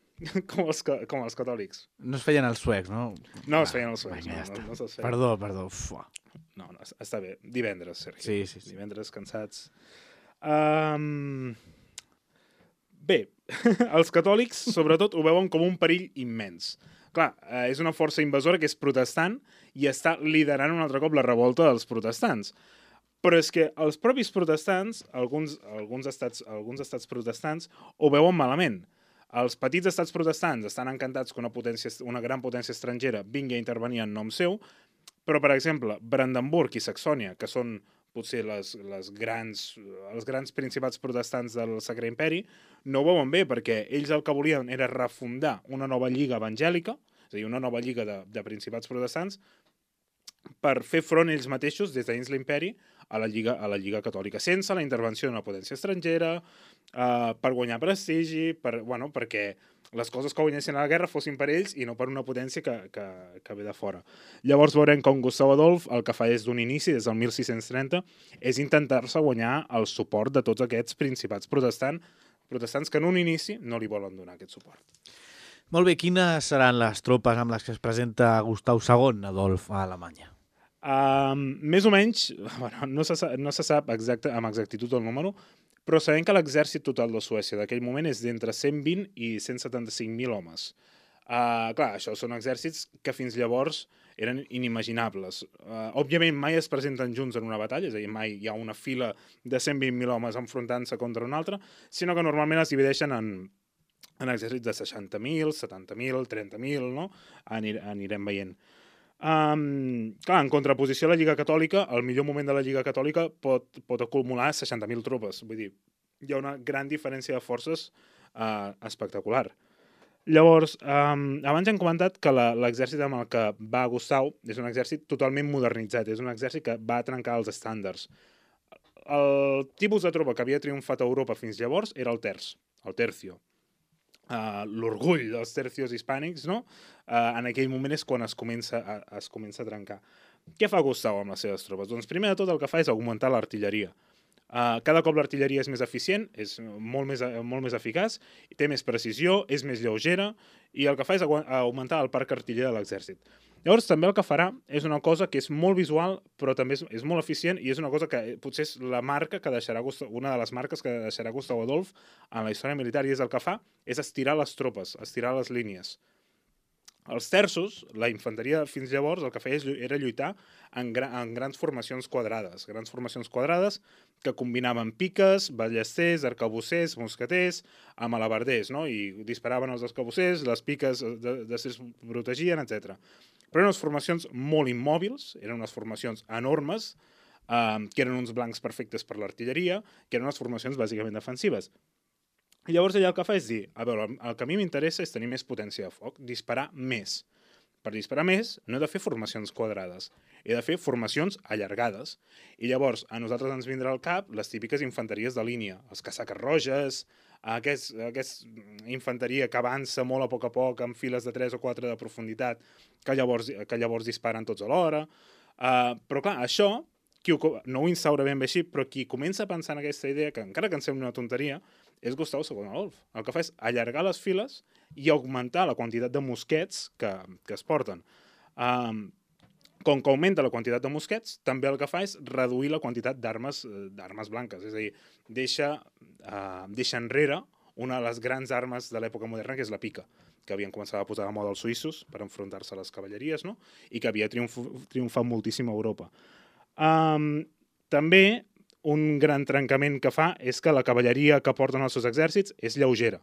S4: com els catòlics.
S3: No es feien els suecs, no?
S4: No es feien els suecs.
S3: Vinga, ja
S4: no
S3: està.
S4: se'ls feien.
S3: Perdó.
S4: No, està bé. Divendres, Sergi.
S3: Sí.
S4: Divendres, cansats. Bé, els catòlics, sobretot, ho veuen com un perill immens. Clar, és una força invasora que és protestant i està liderant un altre cop la revolta dels protestants. Però és que els propis protestants, alguns estats protestants, ho veuen malament. Els petits estats protestants estan encantats que una gran potència estrangera vingui a intervenir en nom seu, però, per exemple, Brandenburg i Saxònia, que són potser els grans principats protestants del Sacre Imperi, no ho veuen bé, perquè ells el que volien era refundar una nova lliga evangèlica, és a dir, una nova lliga de principats protestants, per fer front ells mateixos, des dins l'imperi, a la Lliga Catòlica, sense la intervenció d'una potència estrangera, per guanyar prestigi, perquè les coses que guanyessin a la guerra fossin per ells i no per una potència que ve de fora. Llavors veurem com Gustav Adolf el que fa des d'un inici, des del 1630, és intentar-se guanyar el suport de tots aquests principats protestants que en un inici no li volen donar aquest suport.
S3: Molt bé, quines seran les tropes amb les que es presenta Gustav II Adolf a Alemanya?
S4: Més o menys, no se sap amb exactitud el número, però sabem que l'exèrcit total de Suècia d'aquell moment és d'entre 120 i 175.000 homes. Clar, això són exèrcits que fins llavors eren inimaginables. Òbviament mai es presenten junts en una batalla, és a dir, mai hi ha una fila de 120.000 homes enfrontant-se contra una altra, sinó que normalment es divideixen en exèrcits de 60.000, 70.000, 30.000, no? Anirem veient. Clar, en contraposició a la Lliga Catòlica, el millor moment de la Lliga Catòlica pot acumular 60.000 tropes. Vull dir, hi ha una gran diferència de forces espectacular. Llavors, abans hem comentat que l'exèrcit amb el que va Gustav és un exèrcit totalment modernitzat, és un exèrcit que va trencar els estàndards. El tipus de tropa que havia triomfat a Europa fins llavors era el tercio. L'orgull dels tercios hispànics, no? En aquell moment és quan es comença a trencar. Què fa Gustav amb les seves tropes? Doncs primer de tot el que fa és augmentar l'artilleria. Cada cop l'artilleria és més eficient, és molt més eficaç, té més precisió, és més lleugera, i el que fa és augmentar el parc artiller de l'exèrcit. Llavors també el que farà és una cosa que és molt visual, però també és molt eficient, i és una cosa que potser és la marca que deixarà una de les marques que deixarà Gustav Adolf en la història militar, i és el que fa és estirar les tropes, estirar les línies. Els terços, la infanteria fins llavors, el que feia era lluitar en grans formacions quadrades que combinaven piques, ballesters, arcabussers, mosqueters, amb alabarders, no? I disparaven els arcabussers, les piques es protegien, etc. Però eren unes formacions molt immòbils, eren unes formacions enormes, que eren uns blancs perfectes per l'artilleria, que eren unes formacions bàsicament defensives. I llavors ella el que fa és dir, a veure, el que a mi m'interessa és tenir més potència de foc, disparar més. Per disparar més no he de fer formacions quadrades, he de fer formacions allargades. I llavors a nosaltres ens vindrà al cap les típiques infanteries de línia, els casaques roges, aquesta infanteria que avança molt a poc amb files de 3 o 4 de profunditat, que llavors disparen tots alhora. Però clar, això no ho instaura ben bé així, però qui comença a pensar en aquesta idea, que encara que ens sembli una tonteria, és Gustav II Adolf. El que fa és allargar les files i augmentar la quantitat de mosquets que es porten. Com que augmenta la quantitat de mosquets, també el que fa és reduir la quantitat d'armes blanques. És a dir, deixa enrere una de les grans armes de l'època moderna, que és la pica, que havien començat a posar de moda els suïssos per enfrontar-se a les cavalleries, no? I que havia triomfat moltíssim a Europa. També un gran trencament que fa és que la cavalleria que porten els seus exèrcits és lleugera.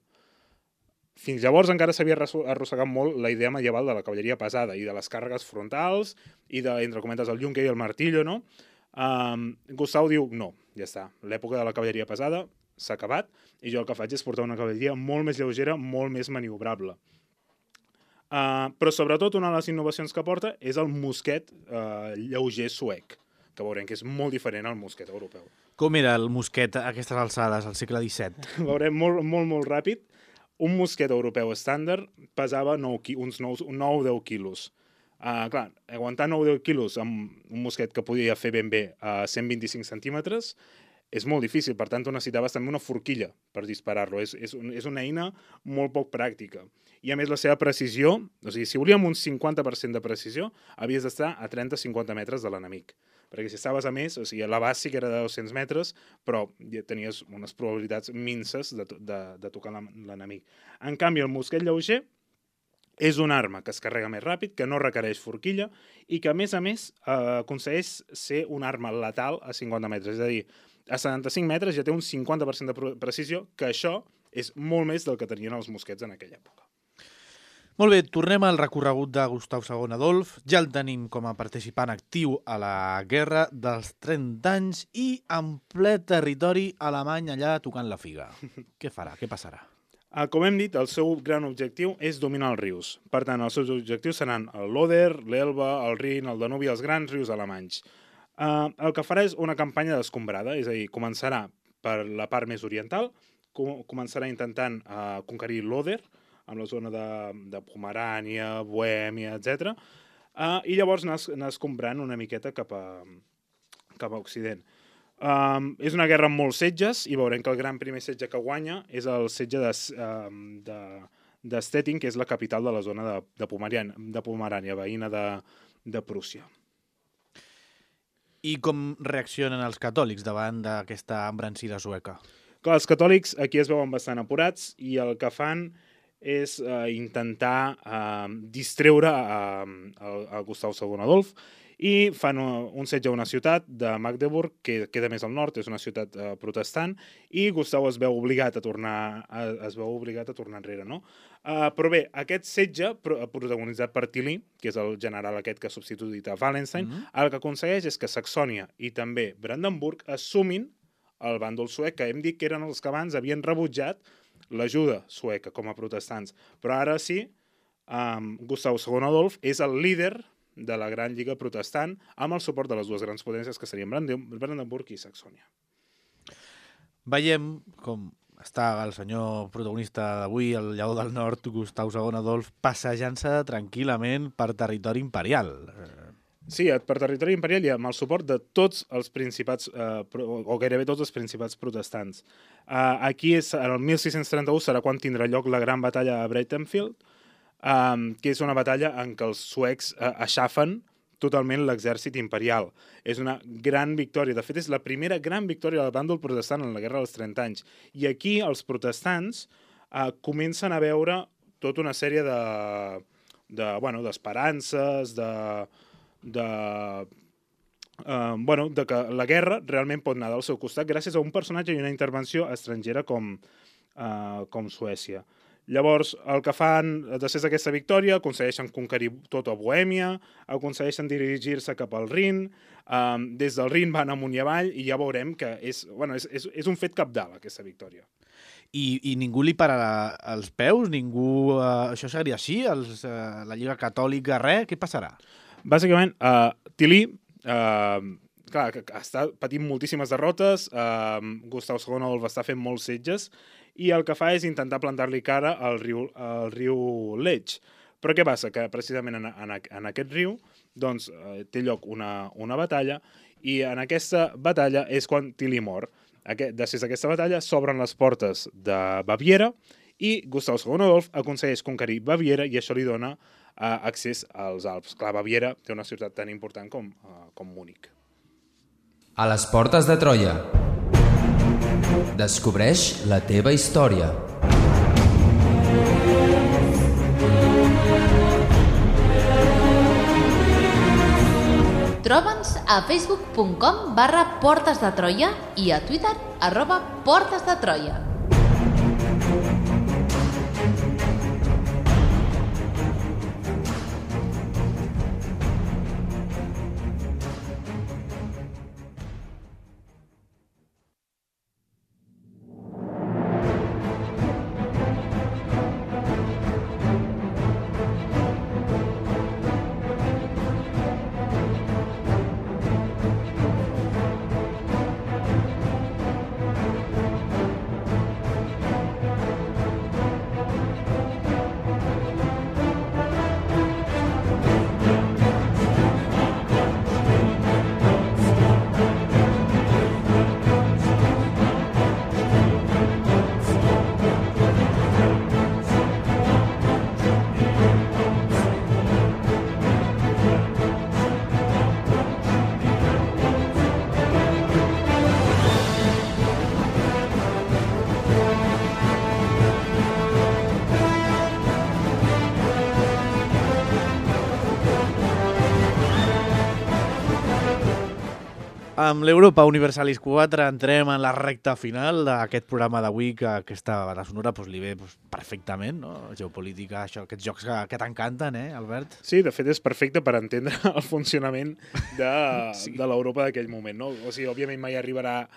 S4: Fins llavors encara s'havia arrossegat molt la idea medieval de la cavalleria pesada i de les càrregues frontals i de, entre cometes, el yunque i el martillo, no? Gustau diu, no, ja està, l'època de la cavalleria pesada s'ha acabat i jo el que faig és portar una cavalleria molt més lleugera, molt més maniobrable. Però sobretot una de les innovacions que porta és el mosquet lleuger suec, que veurem que és molt diferent al mosquet europeu.
S3: Com era el mosquet a aquestes alçades, al segle XVII?
S4: Veurem molt ràpid. Un mosquet europeu estàndard pesava uns 9-10 quilos. Clar, aguantar 9-10 quilos amb un mosquet que podia fer ben bé a 125 centímetres és molt difícil, per tant, necessitaves també una forquilla per disparar-lo. És una eina molt poc pràctica. I a més la seva precisió, o sigui, si volíem un 50% de precisió, havies d'estar a 30-50 metres de l'enemic. Perquè si estaves a més, o sigui, l'abast sí que era de 200 metres, però ja tenies unes probabilitats minces de tocar l'enemic. En canvi, el mosquet lleuger és una arma que es carrega més ràpid, que no requereix forquilla i que, a més, aconsegueix ser una arma letal a 50 metres. És a dir, a 75 metres ja té un 50% de precisió, que això és molt més del que tenien els mosquets en aquella època.
S3: Molt bé, tornem al recorregut de Gustau II Adolf. Ja el tenim com a participant actiu a la Guerra dels 30 anys i en ple territori alemany allà tocant la figa. Què farà? Què passarà?
S4: Com hem dit, el seu gran objectiu és dominar els rius. Per tant, els seus objectius seran el Loder, l'Elba, el Rin, el Danubi, els grans rius alemanys. El que farà és una campanya descombrada, és a dir, començarà per la part més oriental, començarà intentant conquerir l'Oder, amb la zona de Pomerània, Bohèmia, etc. I llavors anar escombrant una miqueta cap a Occident. És una guerra amb molts setges i veurem que el gran primer setge que guanya és el setge de Stettin, que és la capital de la zona de Pomerània, veïna de Prússia.
S3: I com reaccionen els catòlics davant d'aquesta embranzida sueca?
S4: Clar, els catòlics aquí es veuen bastant apurats i el que fan és intentar distreure a Gustau II Adolf i fan un setge a una ciutat de Magdeburg, que queda més al nord, és una ciutat protestant, i Gustau es veu obligat a tornar enrere, no? Però bé, aquest setge, protagonitzat per Tilly, que és el general aquest que ha substituït a Wallenstein, el que aconsegueix és que Saxònia i també Brandenburg assumin el bàndol suec, que hem dit que eren els que abans havien rebutjat l'ajuda sueca com a protestants. Però ara sí, Gustau II Adolf és el líder de la gran lliga protestant amb el suport de les dues grans potències que serien Brandenburg i Saxònia.
S3: Veiem com està el senyor protagonista d'avui, el lleó del nord, Gustau II Adolf, passejant-se tranquil·lament per territori imperial.
S4: Sí, per territori imperial i amb el suport de tots els principats, o gairebé tots els principats protestants. Aquí, en el 1631, serà quan tindrà lloc la gran batalla a Breitenfeld, que és una batalla en què els suecs aixafen totalment l'exèrcit imperial. És una gran victòria. De fet, és la primera gran victòria del bàndol protestant en la Guerra dels 30 anys. I aquí els protestants comencen a veure tota una sèrie d'esperances, de que la guerra realment pot anar del seu costat gràcies a un personatge i una intervenció estrangera com Suècia. Llavors, el que fan després d'aquesta victòria, aconsegueixen conquerir tota Bohèmia, aconsegueixen dirigir-se cap al Rin, des del Rin van amunt i avall i ja veurem que és un fet cabdal, aquesta victòria.
S3: I ningú li pararà els peus? Ningú... això seguiria així? La Lliga Catòlica, res? Què passarà?
S4: Bàsicament, Tilly està patint moltíssimes derrotes, Gustau II Adolf està fent molts setges i el que fa és intentar plantar-li cara al riu Lech. Però què passa? Que precisament en aquest riu té lloc una batalla i en aquesta batalla és quan Tilly mor. Després d'aquesta batalla s'obren les portes de Baviera i Gustau II Adolf aconsegueix conquerir Baviera i això li dona accés als Alps. Clar, Baviera té una ciutat tan important com Múnich.
S6: A les portes de Troia. Descobreix la teva història.
S1: Troba'ns a facebook.com/Portes de Troia i a Twitter @Portes de Troia.
S3: Amb l'Europa Universalis 4 entrem en la recta final d'aquest programa d'avui, que aquesta banda sonora li ve perfectament, no? Geopolítica, això, aquests jocs que t'encanten, Albert?
S4: Sí, de fet és perfecte per entendre el funcionament de l'Europa d'aquell moment, no? O sigui, òbviament mai arribarà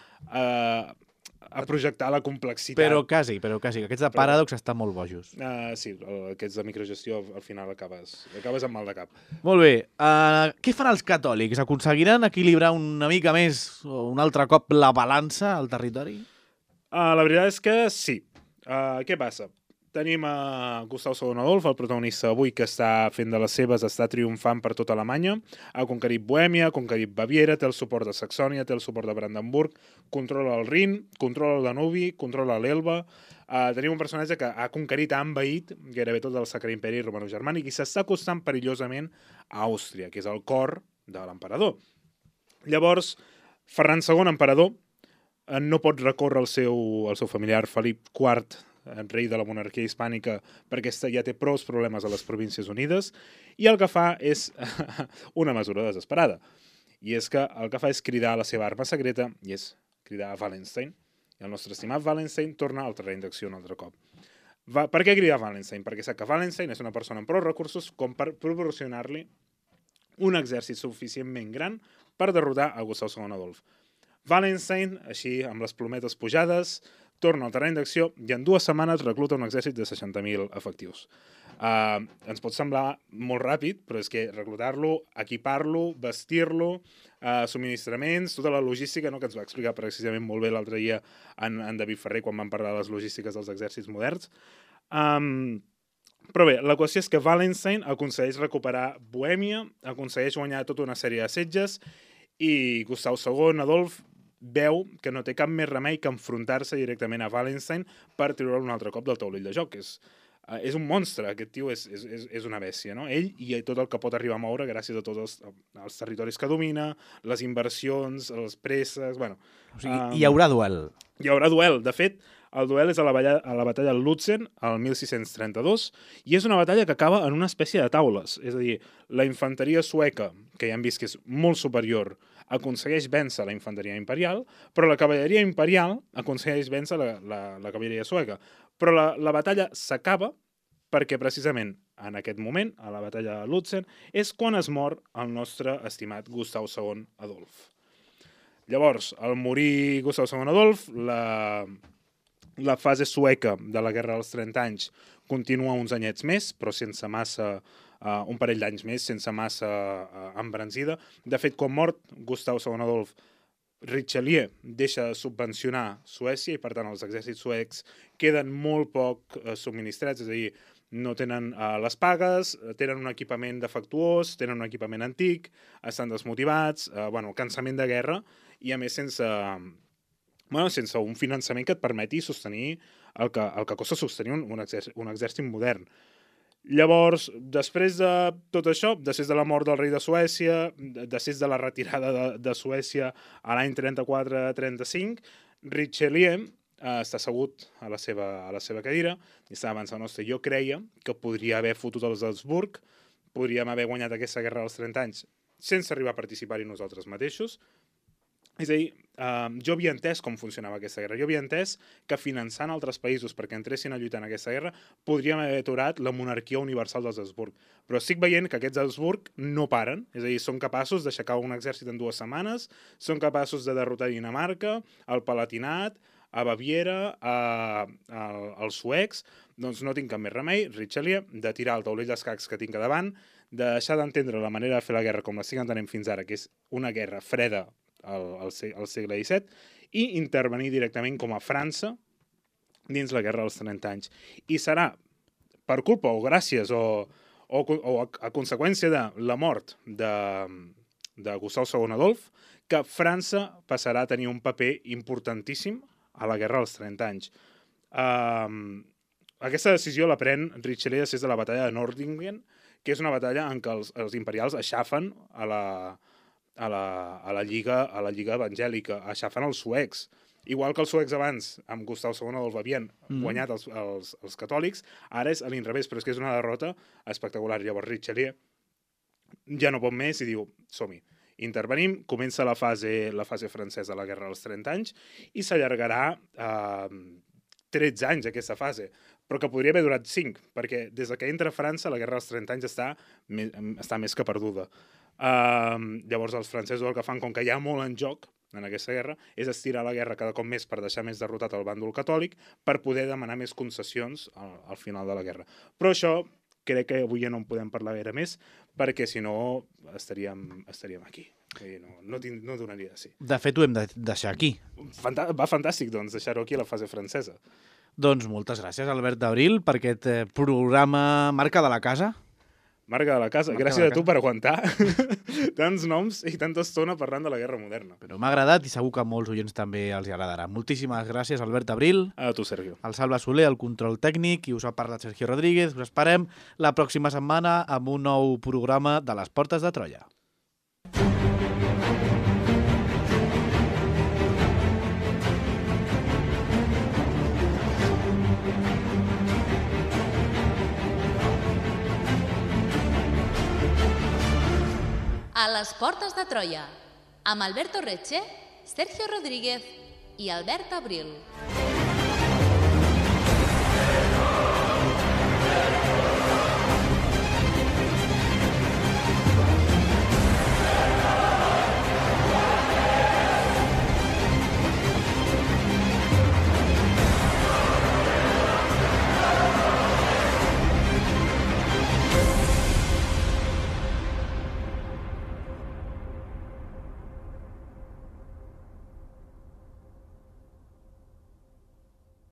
S4: a projectar la complexitat.
S3: Però quasi, aquests de Paradox estan molt bojos.
S4: Sí, aquests de microgestió al final acabes amb mal de cap.
S3: Molt bé, què fan els catòlics? Aconseguiran equilibrar una mica més o un altre cop la balança al territori?
S4: La veritat és que sí. Què passa? Tenim a Gustau II Adolf, el protagonista avui, que està fent de les seves, està triomfant per tota Alemanya, ha conquerit Bohèmia, ha conquerit Baviera, té el suport de Saxònia, té el suport de Brandenburg, controla el Rin, controla el Danubi, controla l'Elba. Tenim un personatge que ha conquerit, ha envaït gairebé tot el Sacre Imperi Romano-Germànic i s'està acostant perillosament a Àustria, que és el cor de l'emperador. Llavors, Ferran II, emperador, no pot recórrer al seu familiar Felip IV, rei de la monarquia hispànica, perquè ja té prou problemes a les Províncies Unides, i el que fa és una mesura desesperada. I és que el que fa és cridar a la seva arma secreta, i és cridar a Wallenstein. I el nostre estimat Wallenstein torna al terreny d'acció un altre cop. Per què cridar a Wallenstein? Perquè sap que Wallenstein és una persona amb prou recursos com per proporcionar-li un exèrcit suficientment gran per derrotar a Gustau II Adolf. Wallenstein, així, amb les plometes pujades, torna al terreny d'acció i en 2 setmanes recluta un exèrcit de 60.000 efectius. Ens pot semblar molt ràpid, però és que reclutar-lo, equipar-lo, vestir-lo, subministraments, tota la logística, no, que ens va explicar precisament molt bé l'altre dia en David Ferrer quan vam parlar de les logístiques dels exèrcits moderns. Però bé, la qüestió és que Wallenstein aconsegueix recuperar Bohèmia, aconsegueix guanyar tota una sèrie de setges i Gustau II Adolf veu que no té cap més remei que enfrontar-se directament a Wallenstein per treure'l un altre cop del taulell de joc. És un monstre, aquest tio és una bèstia, no? Ell i tot el que pot arribar a moure gràcies a tots els territoris que domina, les inversions, els préssecs... Bueno,
S3: o sigui, hi haurà duel.
S4: Hi haurà duel. De fet, el duel és a la batalla de Lutzen, el 1632, i és una batalla que acaba en una espècie de taules. És a dir, la infanteria sueca, que ja hem vist que és molt superior, aconsegueix vèncer la infanteria imperial, però la cavalleria imperial aconsegueix vèncer la cavalleria sueca. Però la batalla s'acaba perquè precisament en aquest moment, a la batalla de Lutzen, és quan es mor el nostre estimat Gustau II Adolf. Llavors, al morir Gustau II Adolf, la fase sueca de la Guerra dels 30 anys continua uns anyets més, però sense massa... un parell d'anys més, sense massa embranzida. De fet, quan mort Gustau II Adolf, Richelieu deixa de subvencionar Suècia i, per tant, els exèrcits suecs queden molt poc subministrats, és a dir, no tenen les pagues, tenen un equipament defectuós, tenen un equipament antic, estan desmotivats, cansament de guerra i, a més, sense un finançament que et permeti sostenir el que costa sostenir un exèrcit modern. Llavors, després de tot això, després de la mort del rei de Suècia, després de la retirada de Suècia a l'any 34-35, Richelieu està assegut a la seva cadira i està pensant, ostres, jo creia que podria haver fotut els Habsburg, podríem haver guanyat aquesta guerra dels 30 anys sense arribar a participar-hi nosaltres mateixos. És a dir, jo havia entès com funcionava aquesta guerra. Jo havia entès que finançant altres països perquè entressin a lluitar en aquesta guerra podríem haver aturat la monarquia universal dels Habsburg. Però estic veient que aquests Habsburg no paren. És a dir, són capaços d'aixecar un exèrcit en 2 setmanes, són capaços de derrotar Dinamarca, el Palatinat, a Baviera, als suecs. Doncs no tinc cap més remei, Richelieu, de tirar el taulell d'escacs que tinc a davant, de deixar d'entendre la manera de fer la guerra com l'estic entenent fins ara, que és una guerra freda al segle XVII, i intervenir directament com a França dins la guerra dels 30 anys. I serà per culpa o gràcies o a conseqüència de la mort de Gustau II Adolf que França passarà a tenir un paper importantíssim a la guerra dels 30 anys. Aquesta decisió la pren Richelieu després de la batalla de Nordlingen, que és una batalla en què els imperials aixafen a la lliga evangèlica, aixafen els suecs. Igual que els suecs abans, amb Gustau II Adolf, havien guanyat els catòlics, ara és a l'inrevés, però és que és una derrota espectacular. Llavors Richelieu ja no pot més i diu, som-hi, intervenim, comença la fase francesa de la Guerra dels 30 anys i s'allargarà 13 anys aquesta fase, però que podria haver durat 5, perquè des que entra a França la Guerra dels 30 anys està més que perduda. Llavors els francesos el que fan, com que hi ha molt en joc en aquesta guerra, és estirar la guerra cada cop més per deixar més derrotat el bàndol catòlic per poder demanar més concessions al final de la guerra. Però això crec que avui ja no en podem parlar gaire més, perquè si no estaríem aquí. No donaria de sí.
S3: De fet, ho hem de deixar aquí.
S4: Va fantàstic, doncs, deixar-ho aquí a la fase francesa.
S3: Doncs moltes gràcies, Albert d'Abril, per aquest programa Marca de la Casa.
S4: Marca de la Casa. Gràcies a tu per aguantar tants noms i tanta estona parlant de la guerra moderna.
S3: Però m'ha agradat i segur que a molts oients també els agradarà. Moltíssimes gràcies, Albert Abril.
S4: A tu, Sergio.
S3: El Salva Soler, el control tècnic, i us ha parlat Sergio Rodríguez. Us esperem la pròxima setmana amb un nou programa de les Portes de Troia.
S1: A les Portes de Troia, amb Alberto Retxe, Sergio Rodríguez i Albert Abril.